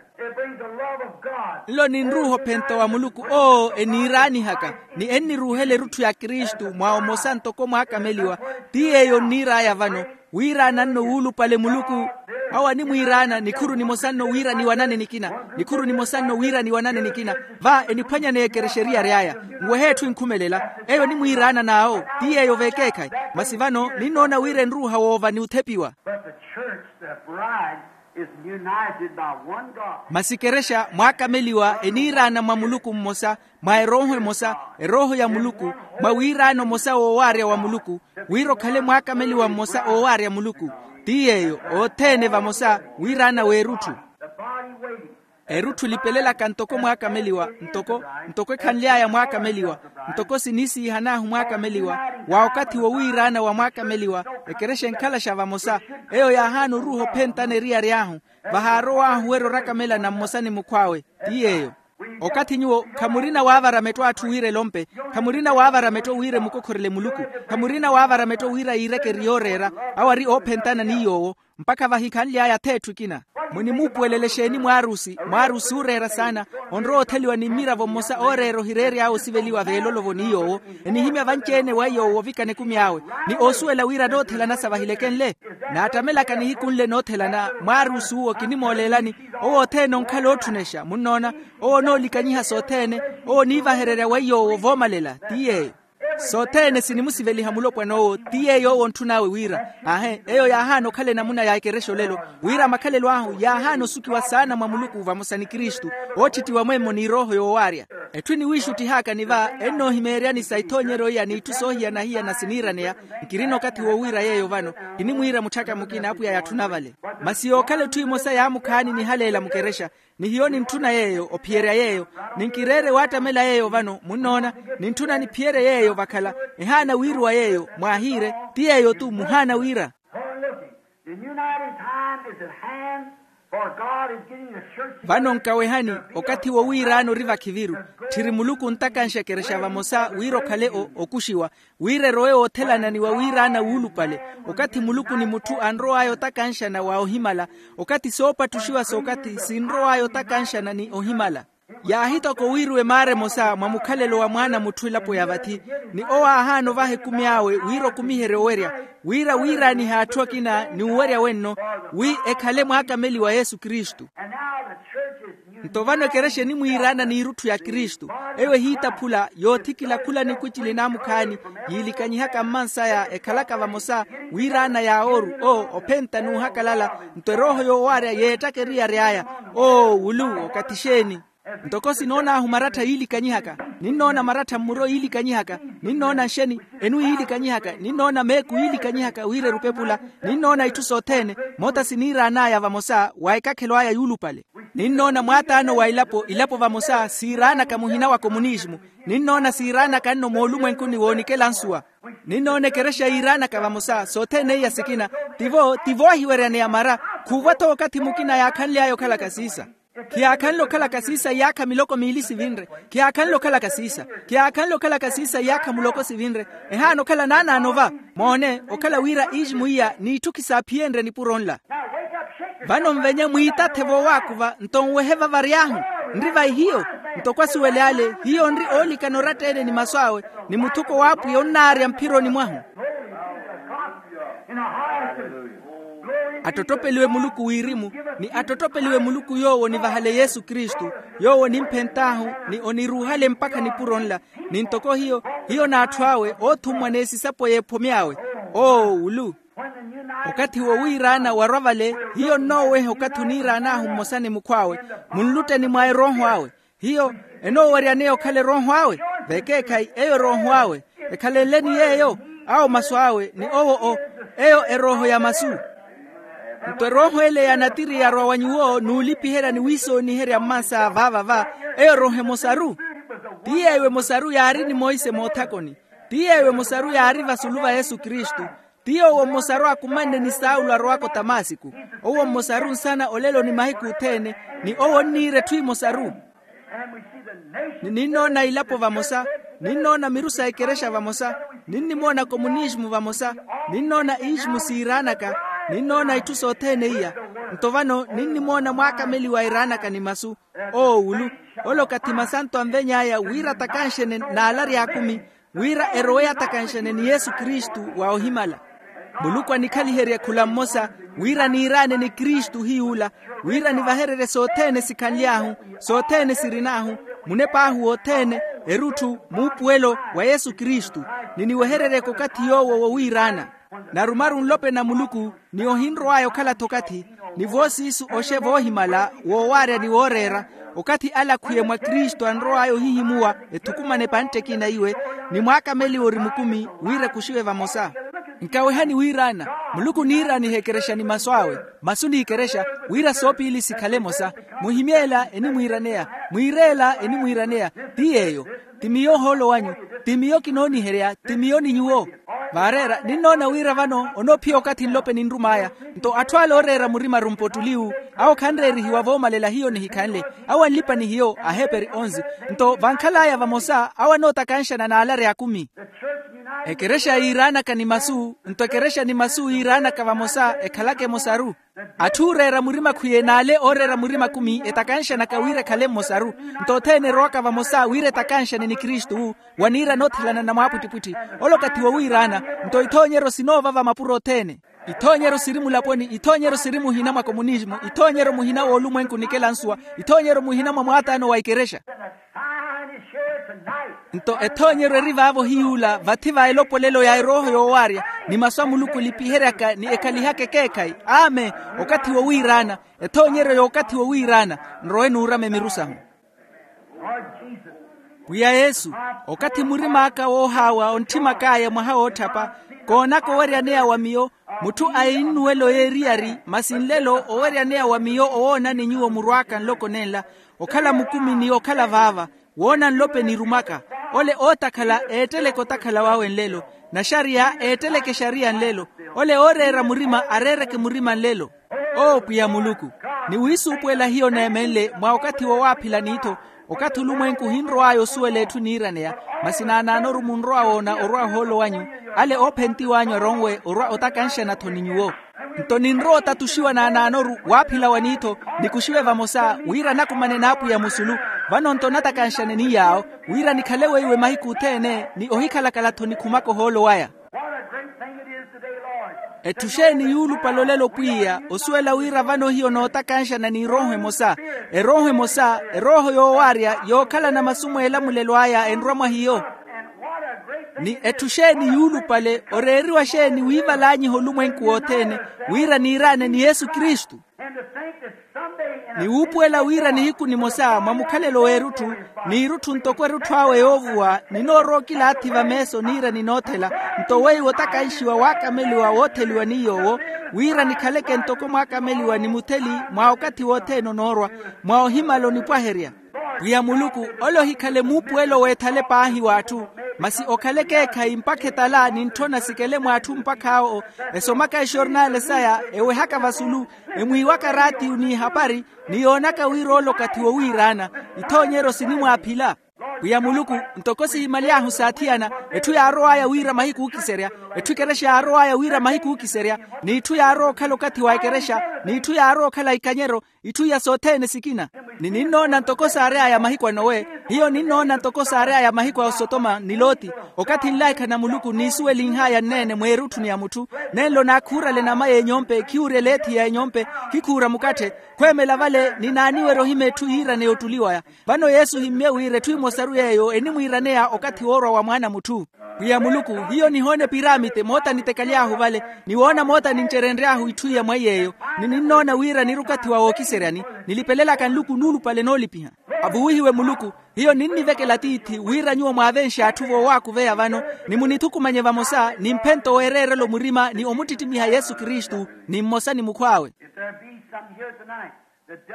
Nlo ninruuha ophenta wa muluku owo eniiraanihaka, ni enniruuhela erutthu ya kristu mwa omosa ntoko mwaakameliwa. Ti yeeyo onniir'aya vano, wiiraana nno wuulupale muluku. Awo animwiiraana nikhuru nimosa nno wira ni wanane nikina, nikhuru nimosa nno wira ni wanane nikina. Va eniphwanyaneya ekerexa eriyari aya, nwehe etthu enkhumelela. Eyo enimwiiraana n'awo, ti yeeyo veekeekhayi. Masi vano ninnoona wira enruuha woova ni othepiwa. Masi kerexa mwaakameliwa eniiraana mwa muluku mmosa, mwa erooho emosa, erooho ya muluku, mwa wiiraana omosa woowaarya wa muluku, wira okhale mwaakameliwa mmosa oowaarya muluku. Ti yeeyo, othene vamosa wiiraana w'erutthu. Erutthu lipelelaka ntoko mwaakameliwa, ntoko ntoko ekhanly'aya mwaakameliwa, ntoko siniisiihan'ahu mwaakameliwa, wa okathi wowiiraana wa mwaakameliwa, ekerexa enkhalaxa vamosa. Eyo yaahaana oruuha ophentana eriyari ahu, vahaarow'ahu werya orakamela na mmosa ni mukhw'awe. Ti yeeyo. Okathi nyuwo khamurina waavara metto atthu wira elompe, khamurina waavara metto wira emukokhorele muluku, khamurina waavara metto wira yiireke eri yooreera, awo ari oophentana ni yoowo, mpakha vahi khanly'aya ath'etthu ekina. Munimuupuwelela exeeni mwaarusi? Mwaarusi ooreera saana, onrowa otheliwa ni mmiravo mmosa ooreera ohireery'awe osiveliwa veelolovo ni yoowo, enihimya vanci-ene wa yoowo ovikana ekumi awe, ni oosuwela wira anoothelanasa vahilekenle. Naattamelaka nihiku nle noothelana mwaarusi uwo kinimooleelani. Owo othene onkhala ootthunexa munnoona, owo onoolikanyiha sothene, owo oniivahererya wa yoowo voomalela. Ti yeeyo. Sothene sinimusiveliha mulopwana owo ti yeeyo owo ontthun'awe wira. Aahe eyo yaahaana okhala enamuna ya ekerexa olelo, wira makhalelo ahu yaahaana osukiwa saana mwa muluku vamosa ni kristu, oottittiwa mwemmo ni erooho yoowaarya. Etthu eniwiixuttih'aka ni va ennoohimeeryani sa ithoonyeryo iya n'itthu soohiyana-hiyana siniiraneya. Nkirina okathi wowiira yeeyo vano, kinimwiira mutthaka mukina apwiya yatthuna vale. Masi yookhala etthu emosa yaamukhaani nihaleela mukerexa, ni hiyo nintthuna yeeyo ophiyerya yeeyo, ni nkireere waattamela yeeyo vano munnoona, nintthuna niphiyerye yeeyo vakhala. Ehaana wiiruwa yeeyo mwaahiire, ti yeeyo-tu muhaana wiira. Vano nkawehani, okathi wowiiraana ori vakhiviru. Tthiri muluku ontakanxa ekerexa vamosa wira okhale okuxiwa, wira erowe woothelana ni wawiiraana wuulupale. Okathi muluku ni mutthu anrow'aya otakanxana wa ohimala, okathi soopattuxiwa s'okathi sinrow'aya otakanxana ni ohimala. Yaahitoka owiiruwa emaara emosa mwa mukhalelo wa mwaana mutthu elapo ya vathi, ni owo aahaana ovaha ekumi awe wira okumiherye owerya, wira wiiraanihe atthu akina ni uwerya wenno, wi ekhale mwaakameliwa yesu kristu. Nto vano ekerexa enimwiiraana n'irutthu ya kristu. Eyo ehiitaphula yoothikila khula nikwicili naamukhaani, yiilikanyihaka mmansaya ekhalaka vamosa, wiiraana yaawooru o ophenta n'uhakalala. Nto erooho yoowaarya yeettaka eriyari aya, o wulu okathi xeeni? Ntoko sinoon'ahu marattha yiilikanyihaka, ninnoona marattha mmuro yiilikanyihaka, ninnoona nxeni enu yiilikanyihaka, ninnoona meeku yiilikanyihaka wira erupepula, ninnoona itthu sothene. Moota siniiraan'aya vamosa wa ekakhelo aya yuulupale. Ninnoona mwaataano wa ilapo ilapo vamosa siiraanaka muhina wa komunismu. Ninnoona siiraanaka nno moolumwenkuni woonikela nsuwa. Ninnoona ekerexa yiiraanaka vamosa sothene iya sikina. Tivo tivo ahiweryaneya mara. Khuuva-tho okathi mukina yaakhanly'aya okhalaka siisa. Khiyaakhanle okhalaka siisa iyaakha miloko miili sivinre. Khiyaakhanle okhalaka siisa. Khiyaakhanle okhalaka siisa iyaakha muloko sivinre. Ehaana okhala naanaano va. Moone okhala wira iismu iya n'itthu khisaaphiyeenrye nipuro nla. Vano nvenye mwiitathe voowaakuva nto nwehe vavary'ahu. Nri vai hiyo? Ntoko asuwele ale hiyo nri oolikana oratta-ene ni masu awe, ni muthuko w'apwiya onnaarya mphironi mwahu. Attottopeliwe muluku wirimu, ni attottopeliwe muluku yoowo onivahale yesu kristu, yoowo onimphent'ahu, ni oniruuhale mpakha nipuro nla. Ni ntoko hiyo, hiyo n'atthu awe oothummwa n'esisapo y'ephome awe. Oo ulu. Okathi wowiiraana warwa vale, hiyo nnooweha okathi oniiraan'ahu mmosa ni mukhw'awe, munlutteni mwa erooho awe. Hiyo enooweryaneya okhala erooho awe. Vekeekhayi eyo erooho awe. Ekhalenle ni yeeyo, awo masu awe ni owo o, eyo erooho ya masu. Nto erooho ele ya natiri yarwa wa nyuwo n'ulipiherya ni wiisooniherya mmansa vaava va, eyo erooho emosaru. Ti yeeyo emosaru yaari ni monse moothakoni. Ti yeeyo emosaru yaari vasulu va yesu kristu. Ti yoowo mmosaru akumanne ni saulo arowaka otamasiku. Owo mmosaru nsana olelo ni mahiku othene, ni owo onniira etthu emosaru. Ni ninnoona ilapo vamosa, ninnoona miru sa ekerexa vamosa, ninnimoona komunismu vamosa, ninnoona ismu siiraanaka, ninnoona itthu sothene iya. Nto vano ninnimoona mwaakameliwa eeraanaka ni masu. Oo ulu. Ole okathi masanto anveny'aya wira atakanxene n'alarya akumi, wira erowe atakanxene ni yesu kristu wa ohimala. Muluku anikhaliherye khula mmosa, wira niiraane ni kristu hiy'ula, wira nivahererye sothene sikhanly'ahu, sothene sirin'ahu, munep'ahu wothene, erutthu muupuwelo wa yesu kristu, ni niwehereryeke okathi yoowo wowiiraana. Narumaru nlopeni a muluku, ni ohinrow'aya okhala-tho okathi, ni voosiisu oxe voohimala, woowaarya ni wooreera, okathi ale akhwiye mwa kristu anrow'aya ohihimuwa, ethukumane epantte ekina iwe, ni mwaakameliwa ori mukumi, wira ekuxiwe vamosa. Nkawehani wiiraana, muluku oniiraaniha ekerexa ni masu awe, masu n'ikerexa, wira soopiili sikhale emosa. Muhimye ela enimwiiraneya, mwiire ela enimwiiraneya. Ti yeeyo. Ti miyo ohoolo wanyu. Ti miyo kinooniherya, ti miyo ni nyuwo. Vaareera ninnoona wira vano onoophiya okathi nlope ninrum'aya. Nto atthu ale ooreera murima arumpottuliwu, awo khanreerihiwa voomalela hiyo nihikhanle, awo anlipa ni hiyo aheeperi onzi. Nto vankhal'aya vamosa awo anootakanxana n'alarya akumi. Ekerexa yiiraanaka ni masu, nto ekerexa ni masu yiiraanaka vamosa ekhalaka emosaru. Atthu ooreera murima khwiye n'ale ooreera murima akumi etakanxanaka wira ekhale mmosaru. Nto othene erowaka vamosa wira etakanxane ni kristu, waniira noothelana na mwaapwittipwitthi. Ole okathi wowiiraana. Nto ithoonyeryo sinoova va mapuro othene. Ithoonyeryo siri mulaponi, ithoonyeryo siri muhina mwa komunismu, ithoonyeryo muhina w'olumwenku nikela nsuwa, ithoonyeryo muhina mwa mwaataano wa ikerexa. Nto ethoonyeryo eri vaavo hiy'ula vathi va elopolelo ya erooho yoowaarya, ni masu a muluku olipiheryaka ni ekhalihaka ekeekhayi. Amen. Okathi wowiiraana. Ethoonyeryo y'okathi wowiiraana. Nrowe nuurama emiru sahu. Pwiya yesu, okathi murim'aka woohaawa ontthim'ak'aya mwaha wootthapa, koonaka oweryaneya wa miyo, mutthu a ennuwelo y'eriyari masi nlelo oweryaneya wa miyo owoonani nyuwo murw'aka nloko nenla, okhala mukumi ni okhala vaava, woona nlope nirum'aka. Ole ootakhala eetteleke otakhala wawe nlelo, naxariya eetteleke exariya nlelo, ole ooreera murima areereke murima nlelo. Oo pwiya muluku, ni wiisuupuwela hiyo neemenle mwa okathi wowaaphila n'ittho, okathi olumwenku ohinrow'aya osuwela etthu niiraneya, masi naanaanoru munrowa woona orwa ohoolo wanyu, ale oophentiw'anyu aronwe orwa otakanxana-tho ni nyuwo. Nto ninrowa otatuxiwa naanaanoru waaphila wa n'ittho, nikuxiwe vamosa wira nakumane n'apwiya musulu. Vano nto natakanxane ni yaawo, wira nikhale weiwe mahiku othene ni ohikhalakhala-tho nikhumaka ohoolo waya. Etthu xeeni yuulupale olelo pwiya osuwela wira vano hiyo nootakanxana n'irooho emosa? Erooho emosa, erooho yoowaarya yookhalana masu mweelamulelo aya enrwa mwa hiyo. Ni etthu xeeni yuulupale oreeriwa xeeni wiivalanyiha olumwenku wothene, wira niiraane ni yesu kristu. Ni wuupuwela wira nihiku nimosa mwa mukhalelo w'erutthu, n'irutthu ntoko erutthu awe yoovuwa ninoorowa okilaathi vameeso niira ninoothela. Nto weiwo otakanxiwa waakameliwa wootheliwa ni yoowo, wira nikhaleke ntoko mwaakameliwa ni mutheli mwa okathi wothene onoorwa, mwa ohimala onipwaherya. Pwiya muluku, ole ohikhale muupuwelo w'ethale paahi w'atthu, masi okhale ekeekhayi mpakha etala nintthona sikele mw'atthu mpakha awo esomaka exornale saya, ewehaka vasulu, emwiiwaka raatiyu n'ihapari, ni yoonaka wira ole okathi wowiiraana. Ithoonyeryo sinimwaaphila. Pwiya muluku, ntoko sihimaly'ahu saathiyana, etthu yaarow'aya wira mahiku ookiserya, etthu ekerexa yaarow'aya wira mahiku ookiserya, n'itthu yaarowa okhala okathi wa ekerexa, n'itthu yaarowa okhala ikanyeryo, itthu iya sothene sikina. Ni ninnoona ntoko saary'aya mahiku a nowe. Hiyo ninnoona ntoko saary'aya mahiku a osotoma ni loti. Okathi nlaikha na muluku niisuwelinh'aya nneene mweerutthuni ya mutthu. Nenlo naakhuurale nama y'enyompe khiwurya eleethi ya enyompe. Khikhuura mukatthe. Khweemela vale ninaaniwerya ohima etthu yiiraneya ottuliwaya. Vano yesu ohimmye wira etthu emosaru yeeyo enimwiiraneya okathi woorwa wa mwaana a mutthu. Pwiya muluku, hiyo nihoona epiramite moota nitekaly'ahu vale. Niwoona moota nincerenry'ahu itthu iya mwaiy'eyo. Ni ninnoona wira niri okathi wa wookiseryani. Nilipelelaka nluku nuulupale noolipiha. Avuwihiwe muluku. Hiyo ninnivekela tiithi wira nyuwo mwaavenxe atthu voowaakuveya vano, ni munithukumanye vamosa ni mphento weereerela omurima ni omuttittimiha yesu kristu, ni mmosa ni mukhw'awe.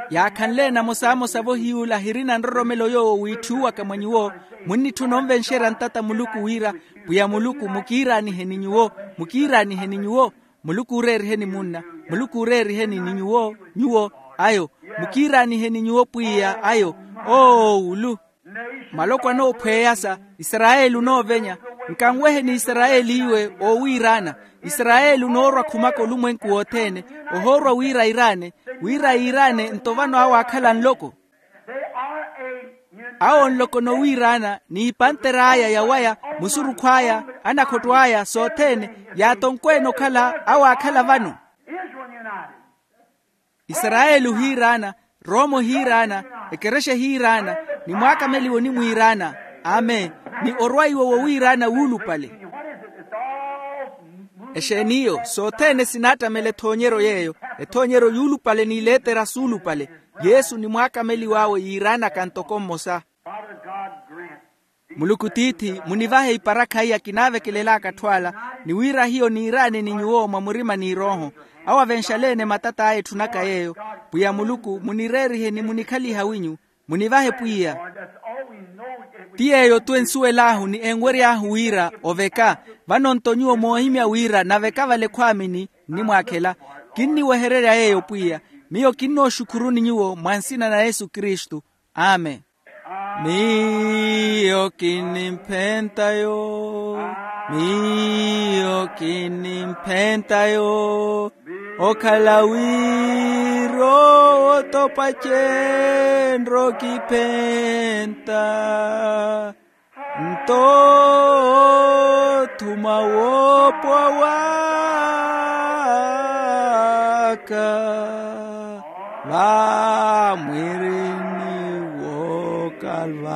Yaakhanle namosamosa-vo hiy'ula hirina nroromelo yoowo wiitthuwaka mwa nyuwo. Munnitthuna onvenxerya ntata muluku wira, pwiya muluku mukiiraaniheni nyuwo. Mukiiraaniheni nyuwo. Muluku ooreeriheni munna. Muluku ooreeriheni ni nyuwo nyuwo. Ayo. Mukiiraaniheni nyuwo pwiya ayo. Oowulu. Maloko anoophweyasa. Isarayeli onoovenya. Nkanweheni isarayeli iwe oowiiraana. Isarayeli onoorwa khumaka olumwenku wothene. Ohoorwa wira airaane. Wira yiiraane nto vano awo aakhala nloko. Awo nloko nowiiraana n'ipanter'aya yawaya, musurukhw'aya, anakhotto aya sothene. Yaatonkwene okhala awo aakhala vano. Isarayeli ohiiraana. Roma ohiiraana. Ekerexa ehiiraana. Ni mwaakameliwa onimwiiraana. Amen. Ni orwaiwa wowiiraana wuulupale. Exeen'iyo sothene sinaattamela ethoonyeryo yeeyo. Ethoonyeryo yuulupale n'iletera suulupale. Yesu ni mwaakameliw'awe yiiraanaka ntoko mmosa. Muluku tiithi munivahe iparakha iya kinaavekelel'aka atthu ala. Ni wira hiyo niiraane ni nyuwo mwa murima n'irooho. Awo avenxaleene matat'aya etthunaka yeeyo. Pwiya muluku munireerihe ni munikhaliha winyu. Munivahe pwiya. Ti yeeyo-tu ensuwel'ahu ni enwery'ahu wira oveka. Vano-nto nyuwo moohimya wira naveka vale ekhwaamini. Nnimwaakhela. Kinniwehererya yeeyo pwiya. Miyo kinnooxukhuruni nyuwo mwa nsina na yesu kristu. Amen. Miyo kinnimphenta yo. Miyo kinnimphenta yo. Okhala wira otopa cenro kiphenta. Nto othuma woopowa waka vamwirini wookalvario.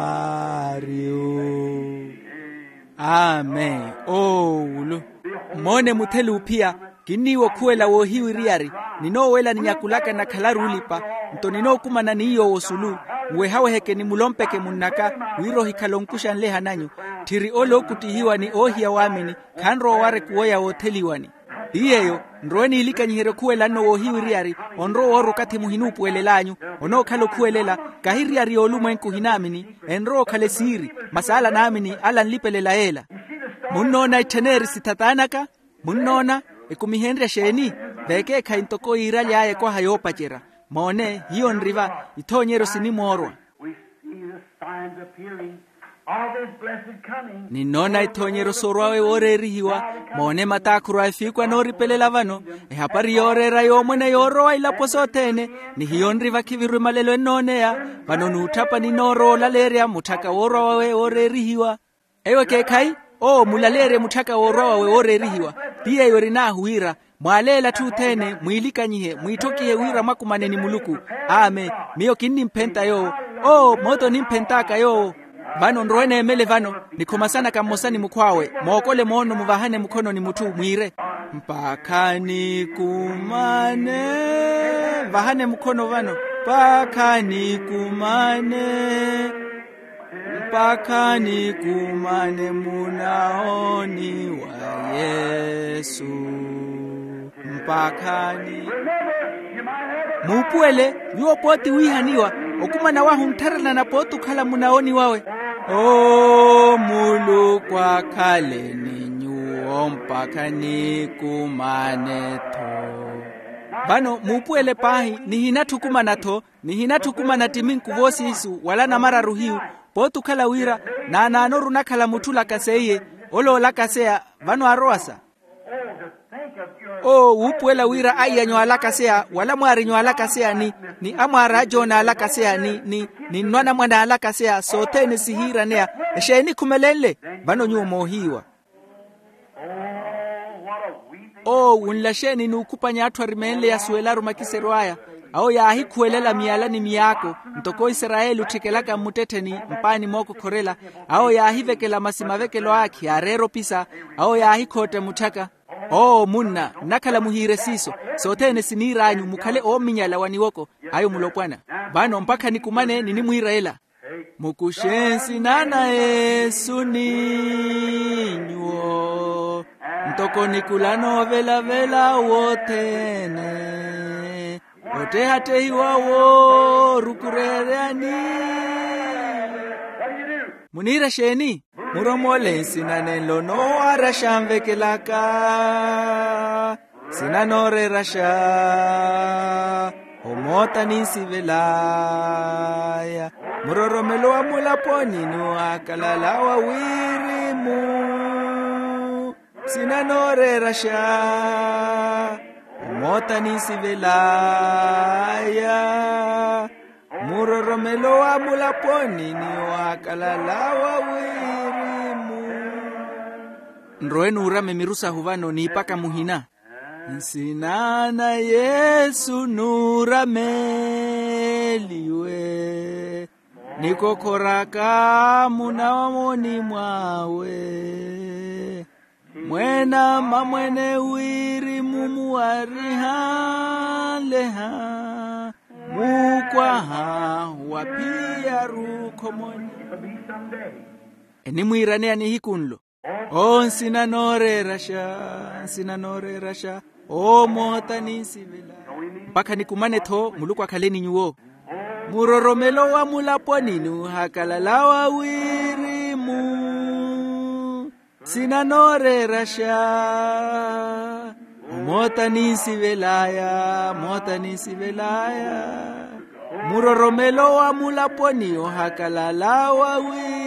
Amen. Oowulu. Moone mutheli uphiya. Kinniiwa okhuwela woohiwiriyari. Ninoowela ninyakulaka nakhalaru olipa. Nto ninookumana n'iy'owo osulu. Nwehaweheke ni mulompeke munnaka. Wira ohikhale onkuxa nleha nanyu. Tthiri ole ookuttihiwa ni oohiya waamini. Khanrowa owara ekuwo ya wootheliwani. Ti yeeyo. Nrowe niilikanyiherye okhuwela nno woohiwiriyari. Onrowa owoora okathi muhinuupuwelel'anyu. Onookhala okhuwelela. Kahi eriyari y'olumwenku ohinaamini. Enrowa okhala esiiri. Masi ala naamini ala nlipelela yeela. Munnoona etthen'eri sithat'anaka? Munnoona? Ekumihenrye exeeni? Vekeekhayi ntoko yiiraly'aya ekwaha yoopacerya. Moone hiyo nri va. Ithoonyeryo sinimoorwa. Ninnoona ithoonyeryo soorw'awe wooreerihiwa. Moone mataakhuru a efiiku anooripelela vano. Ehapari yooreera yoomwene yoorowa ilapo sothene. Ni hiyo nri vakhiviru emalelo ennooneya. Vano n'utthapa ninoorowa olaleerya mutthaka woorwa wawe wooreerihiwa. Eyo ekeekhayi. Owo mulaleerye mutthaka woorwa wawe wooreerihiwa. Ti yeeyo erin'ahu wira mwaaleele atthu othene mwiilikanyihe mwiitthokihe wira mwakumane ni muluku. Amen. Miyo kinnimphenta yoowo. Owo moota onimphent'aka yoowo. Vano nrowe neemele vano nikhomasanaka mmosa ni mukhw'awe mookole moono muvahane mukhono ni mutthu mwiire. Mpakha nikumane. Vahane mukhono vano. Mpakha nikumane. Mpakha nikumane munaoni wa yesu. Mpakha ni muupuwele nyuwo pooti wiihaniwa. Okumana wahu nttharelana pooti okhala munaoni wawe. Omuluku akhale ni nyuwo mpakha nikumane-tho. Vano muupuwele paahi nihinatthukumana-tho. Nihinatthukumana ttiminku voosiisu wala namararu hiyu. Pooti okhala wira naanaanoru onakhala mutthu olakaseyiye. Ole olakaseya vano arowasa. Owo wuupuwela wira aiyanyu alakaseya wala mwaarinyu alakaseya ni ni amwaari ajoona alakaseya ni ni ni nnwanamwane alakaseya sothene sihiiraneya. Exeeni khumelenle? Vano nyuwo moohiiwa. Owo wunla xeeni n'ukhupanya atthu arimeenle yasuwelaru makiseryo aya? Awo yaahikhuwelela miyala ni miyaako ntoko isarayeli otthikelaka mmuttettheni mpaani mookokhorela. Awo yaahivekela masi mavekelo aakhi yaareera opisa. Awo yaahikhootta mutthaka. Owo munna nnakhala muhiire siiso. Sothene siniir'anyu mukhale oominyala wa niwoko ayo mulopwana. Vano mpakha nikumane ninimwiira ela. Mukuxe nsina na yesu ni nyuwo ntoko nikula noovelavela wothene ottehattehiwa woorukureereya ni. Muniira xeeni? Muromole nsina nenlo noowaaraxa nvekelaka. Nsina nooreeraxa omoota ninsivelaya muroromelo wa mulaponi ni waakalala wa wirimu. Nsina nooreeraxa omoota ninsivelaya muroromelo wa mulaponi ni waakalala wa wirimu. Nrowe nuurame miru sahu vano niipaka muhina. Nsina na yesu nuurameliwe nikokhoraka munawamoni mwawe. Mweena mamwene wirimu muwarihanleha muukwaha wa phiyaru khomoni. Enimwiiraneya nihiku nlo. Owo nsina nooreeraxa nsina nooreeraxa owo moota ninsivela. Mpakha nikumane-tho muluku akhale ni nyuwo. Muroromelo wa mulaponi nuhakalala wa wirimu. Nsina nooreeraxa omoota ninsivelaya moota ninsivelaya. Muroromelo wa mulaponi ohakalala wa wirimu.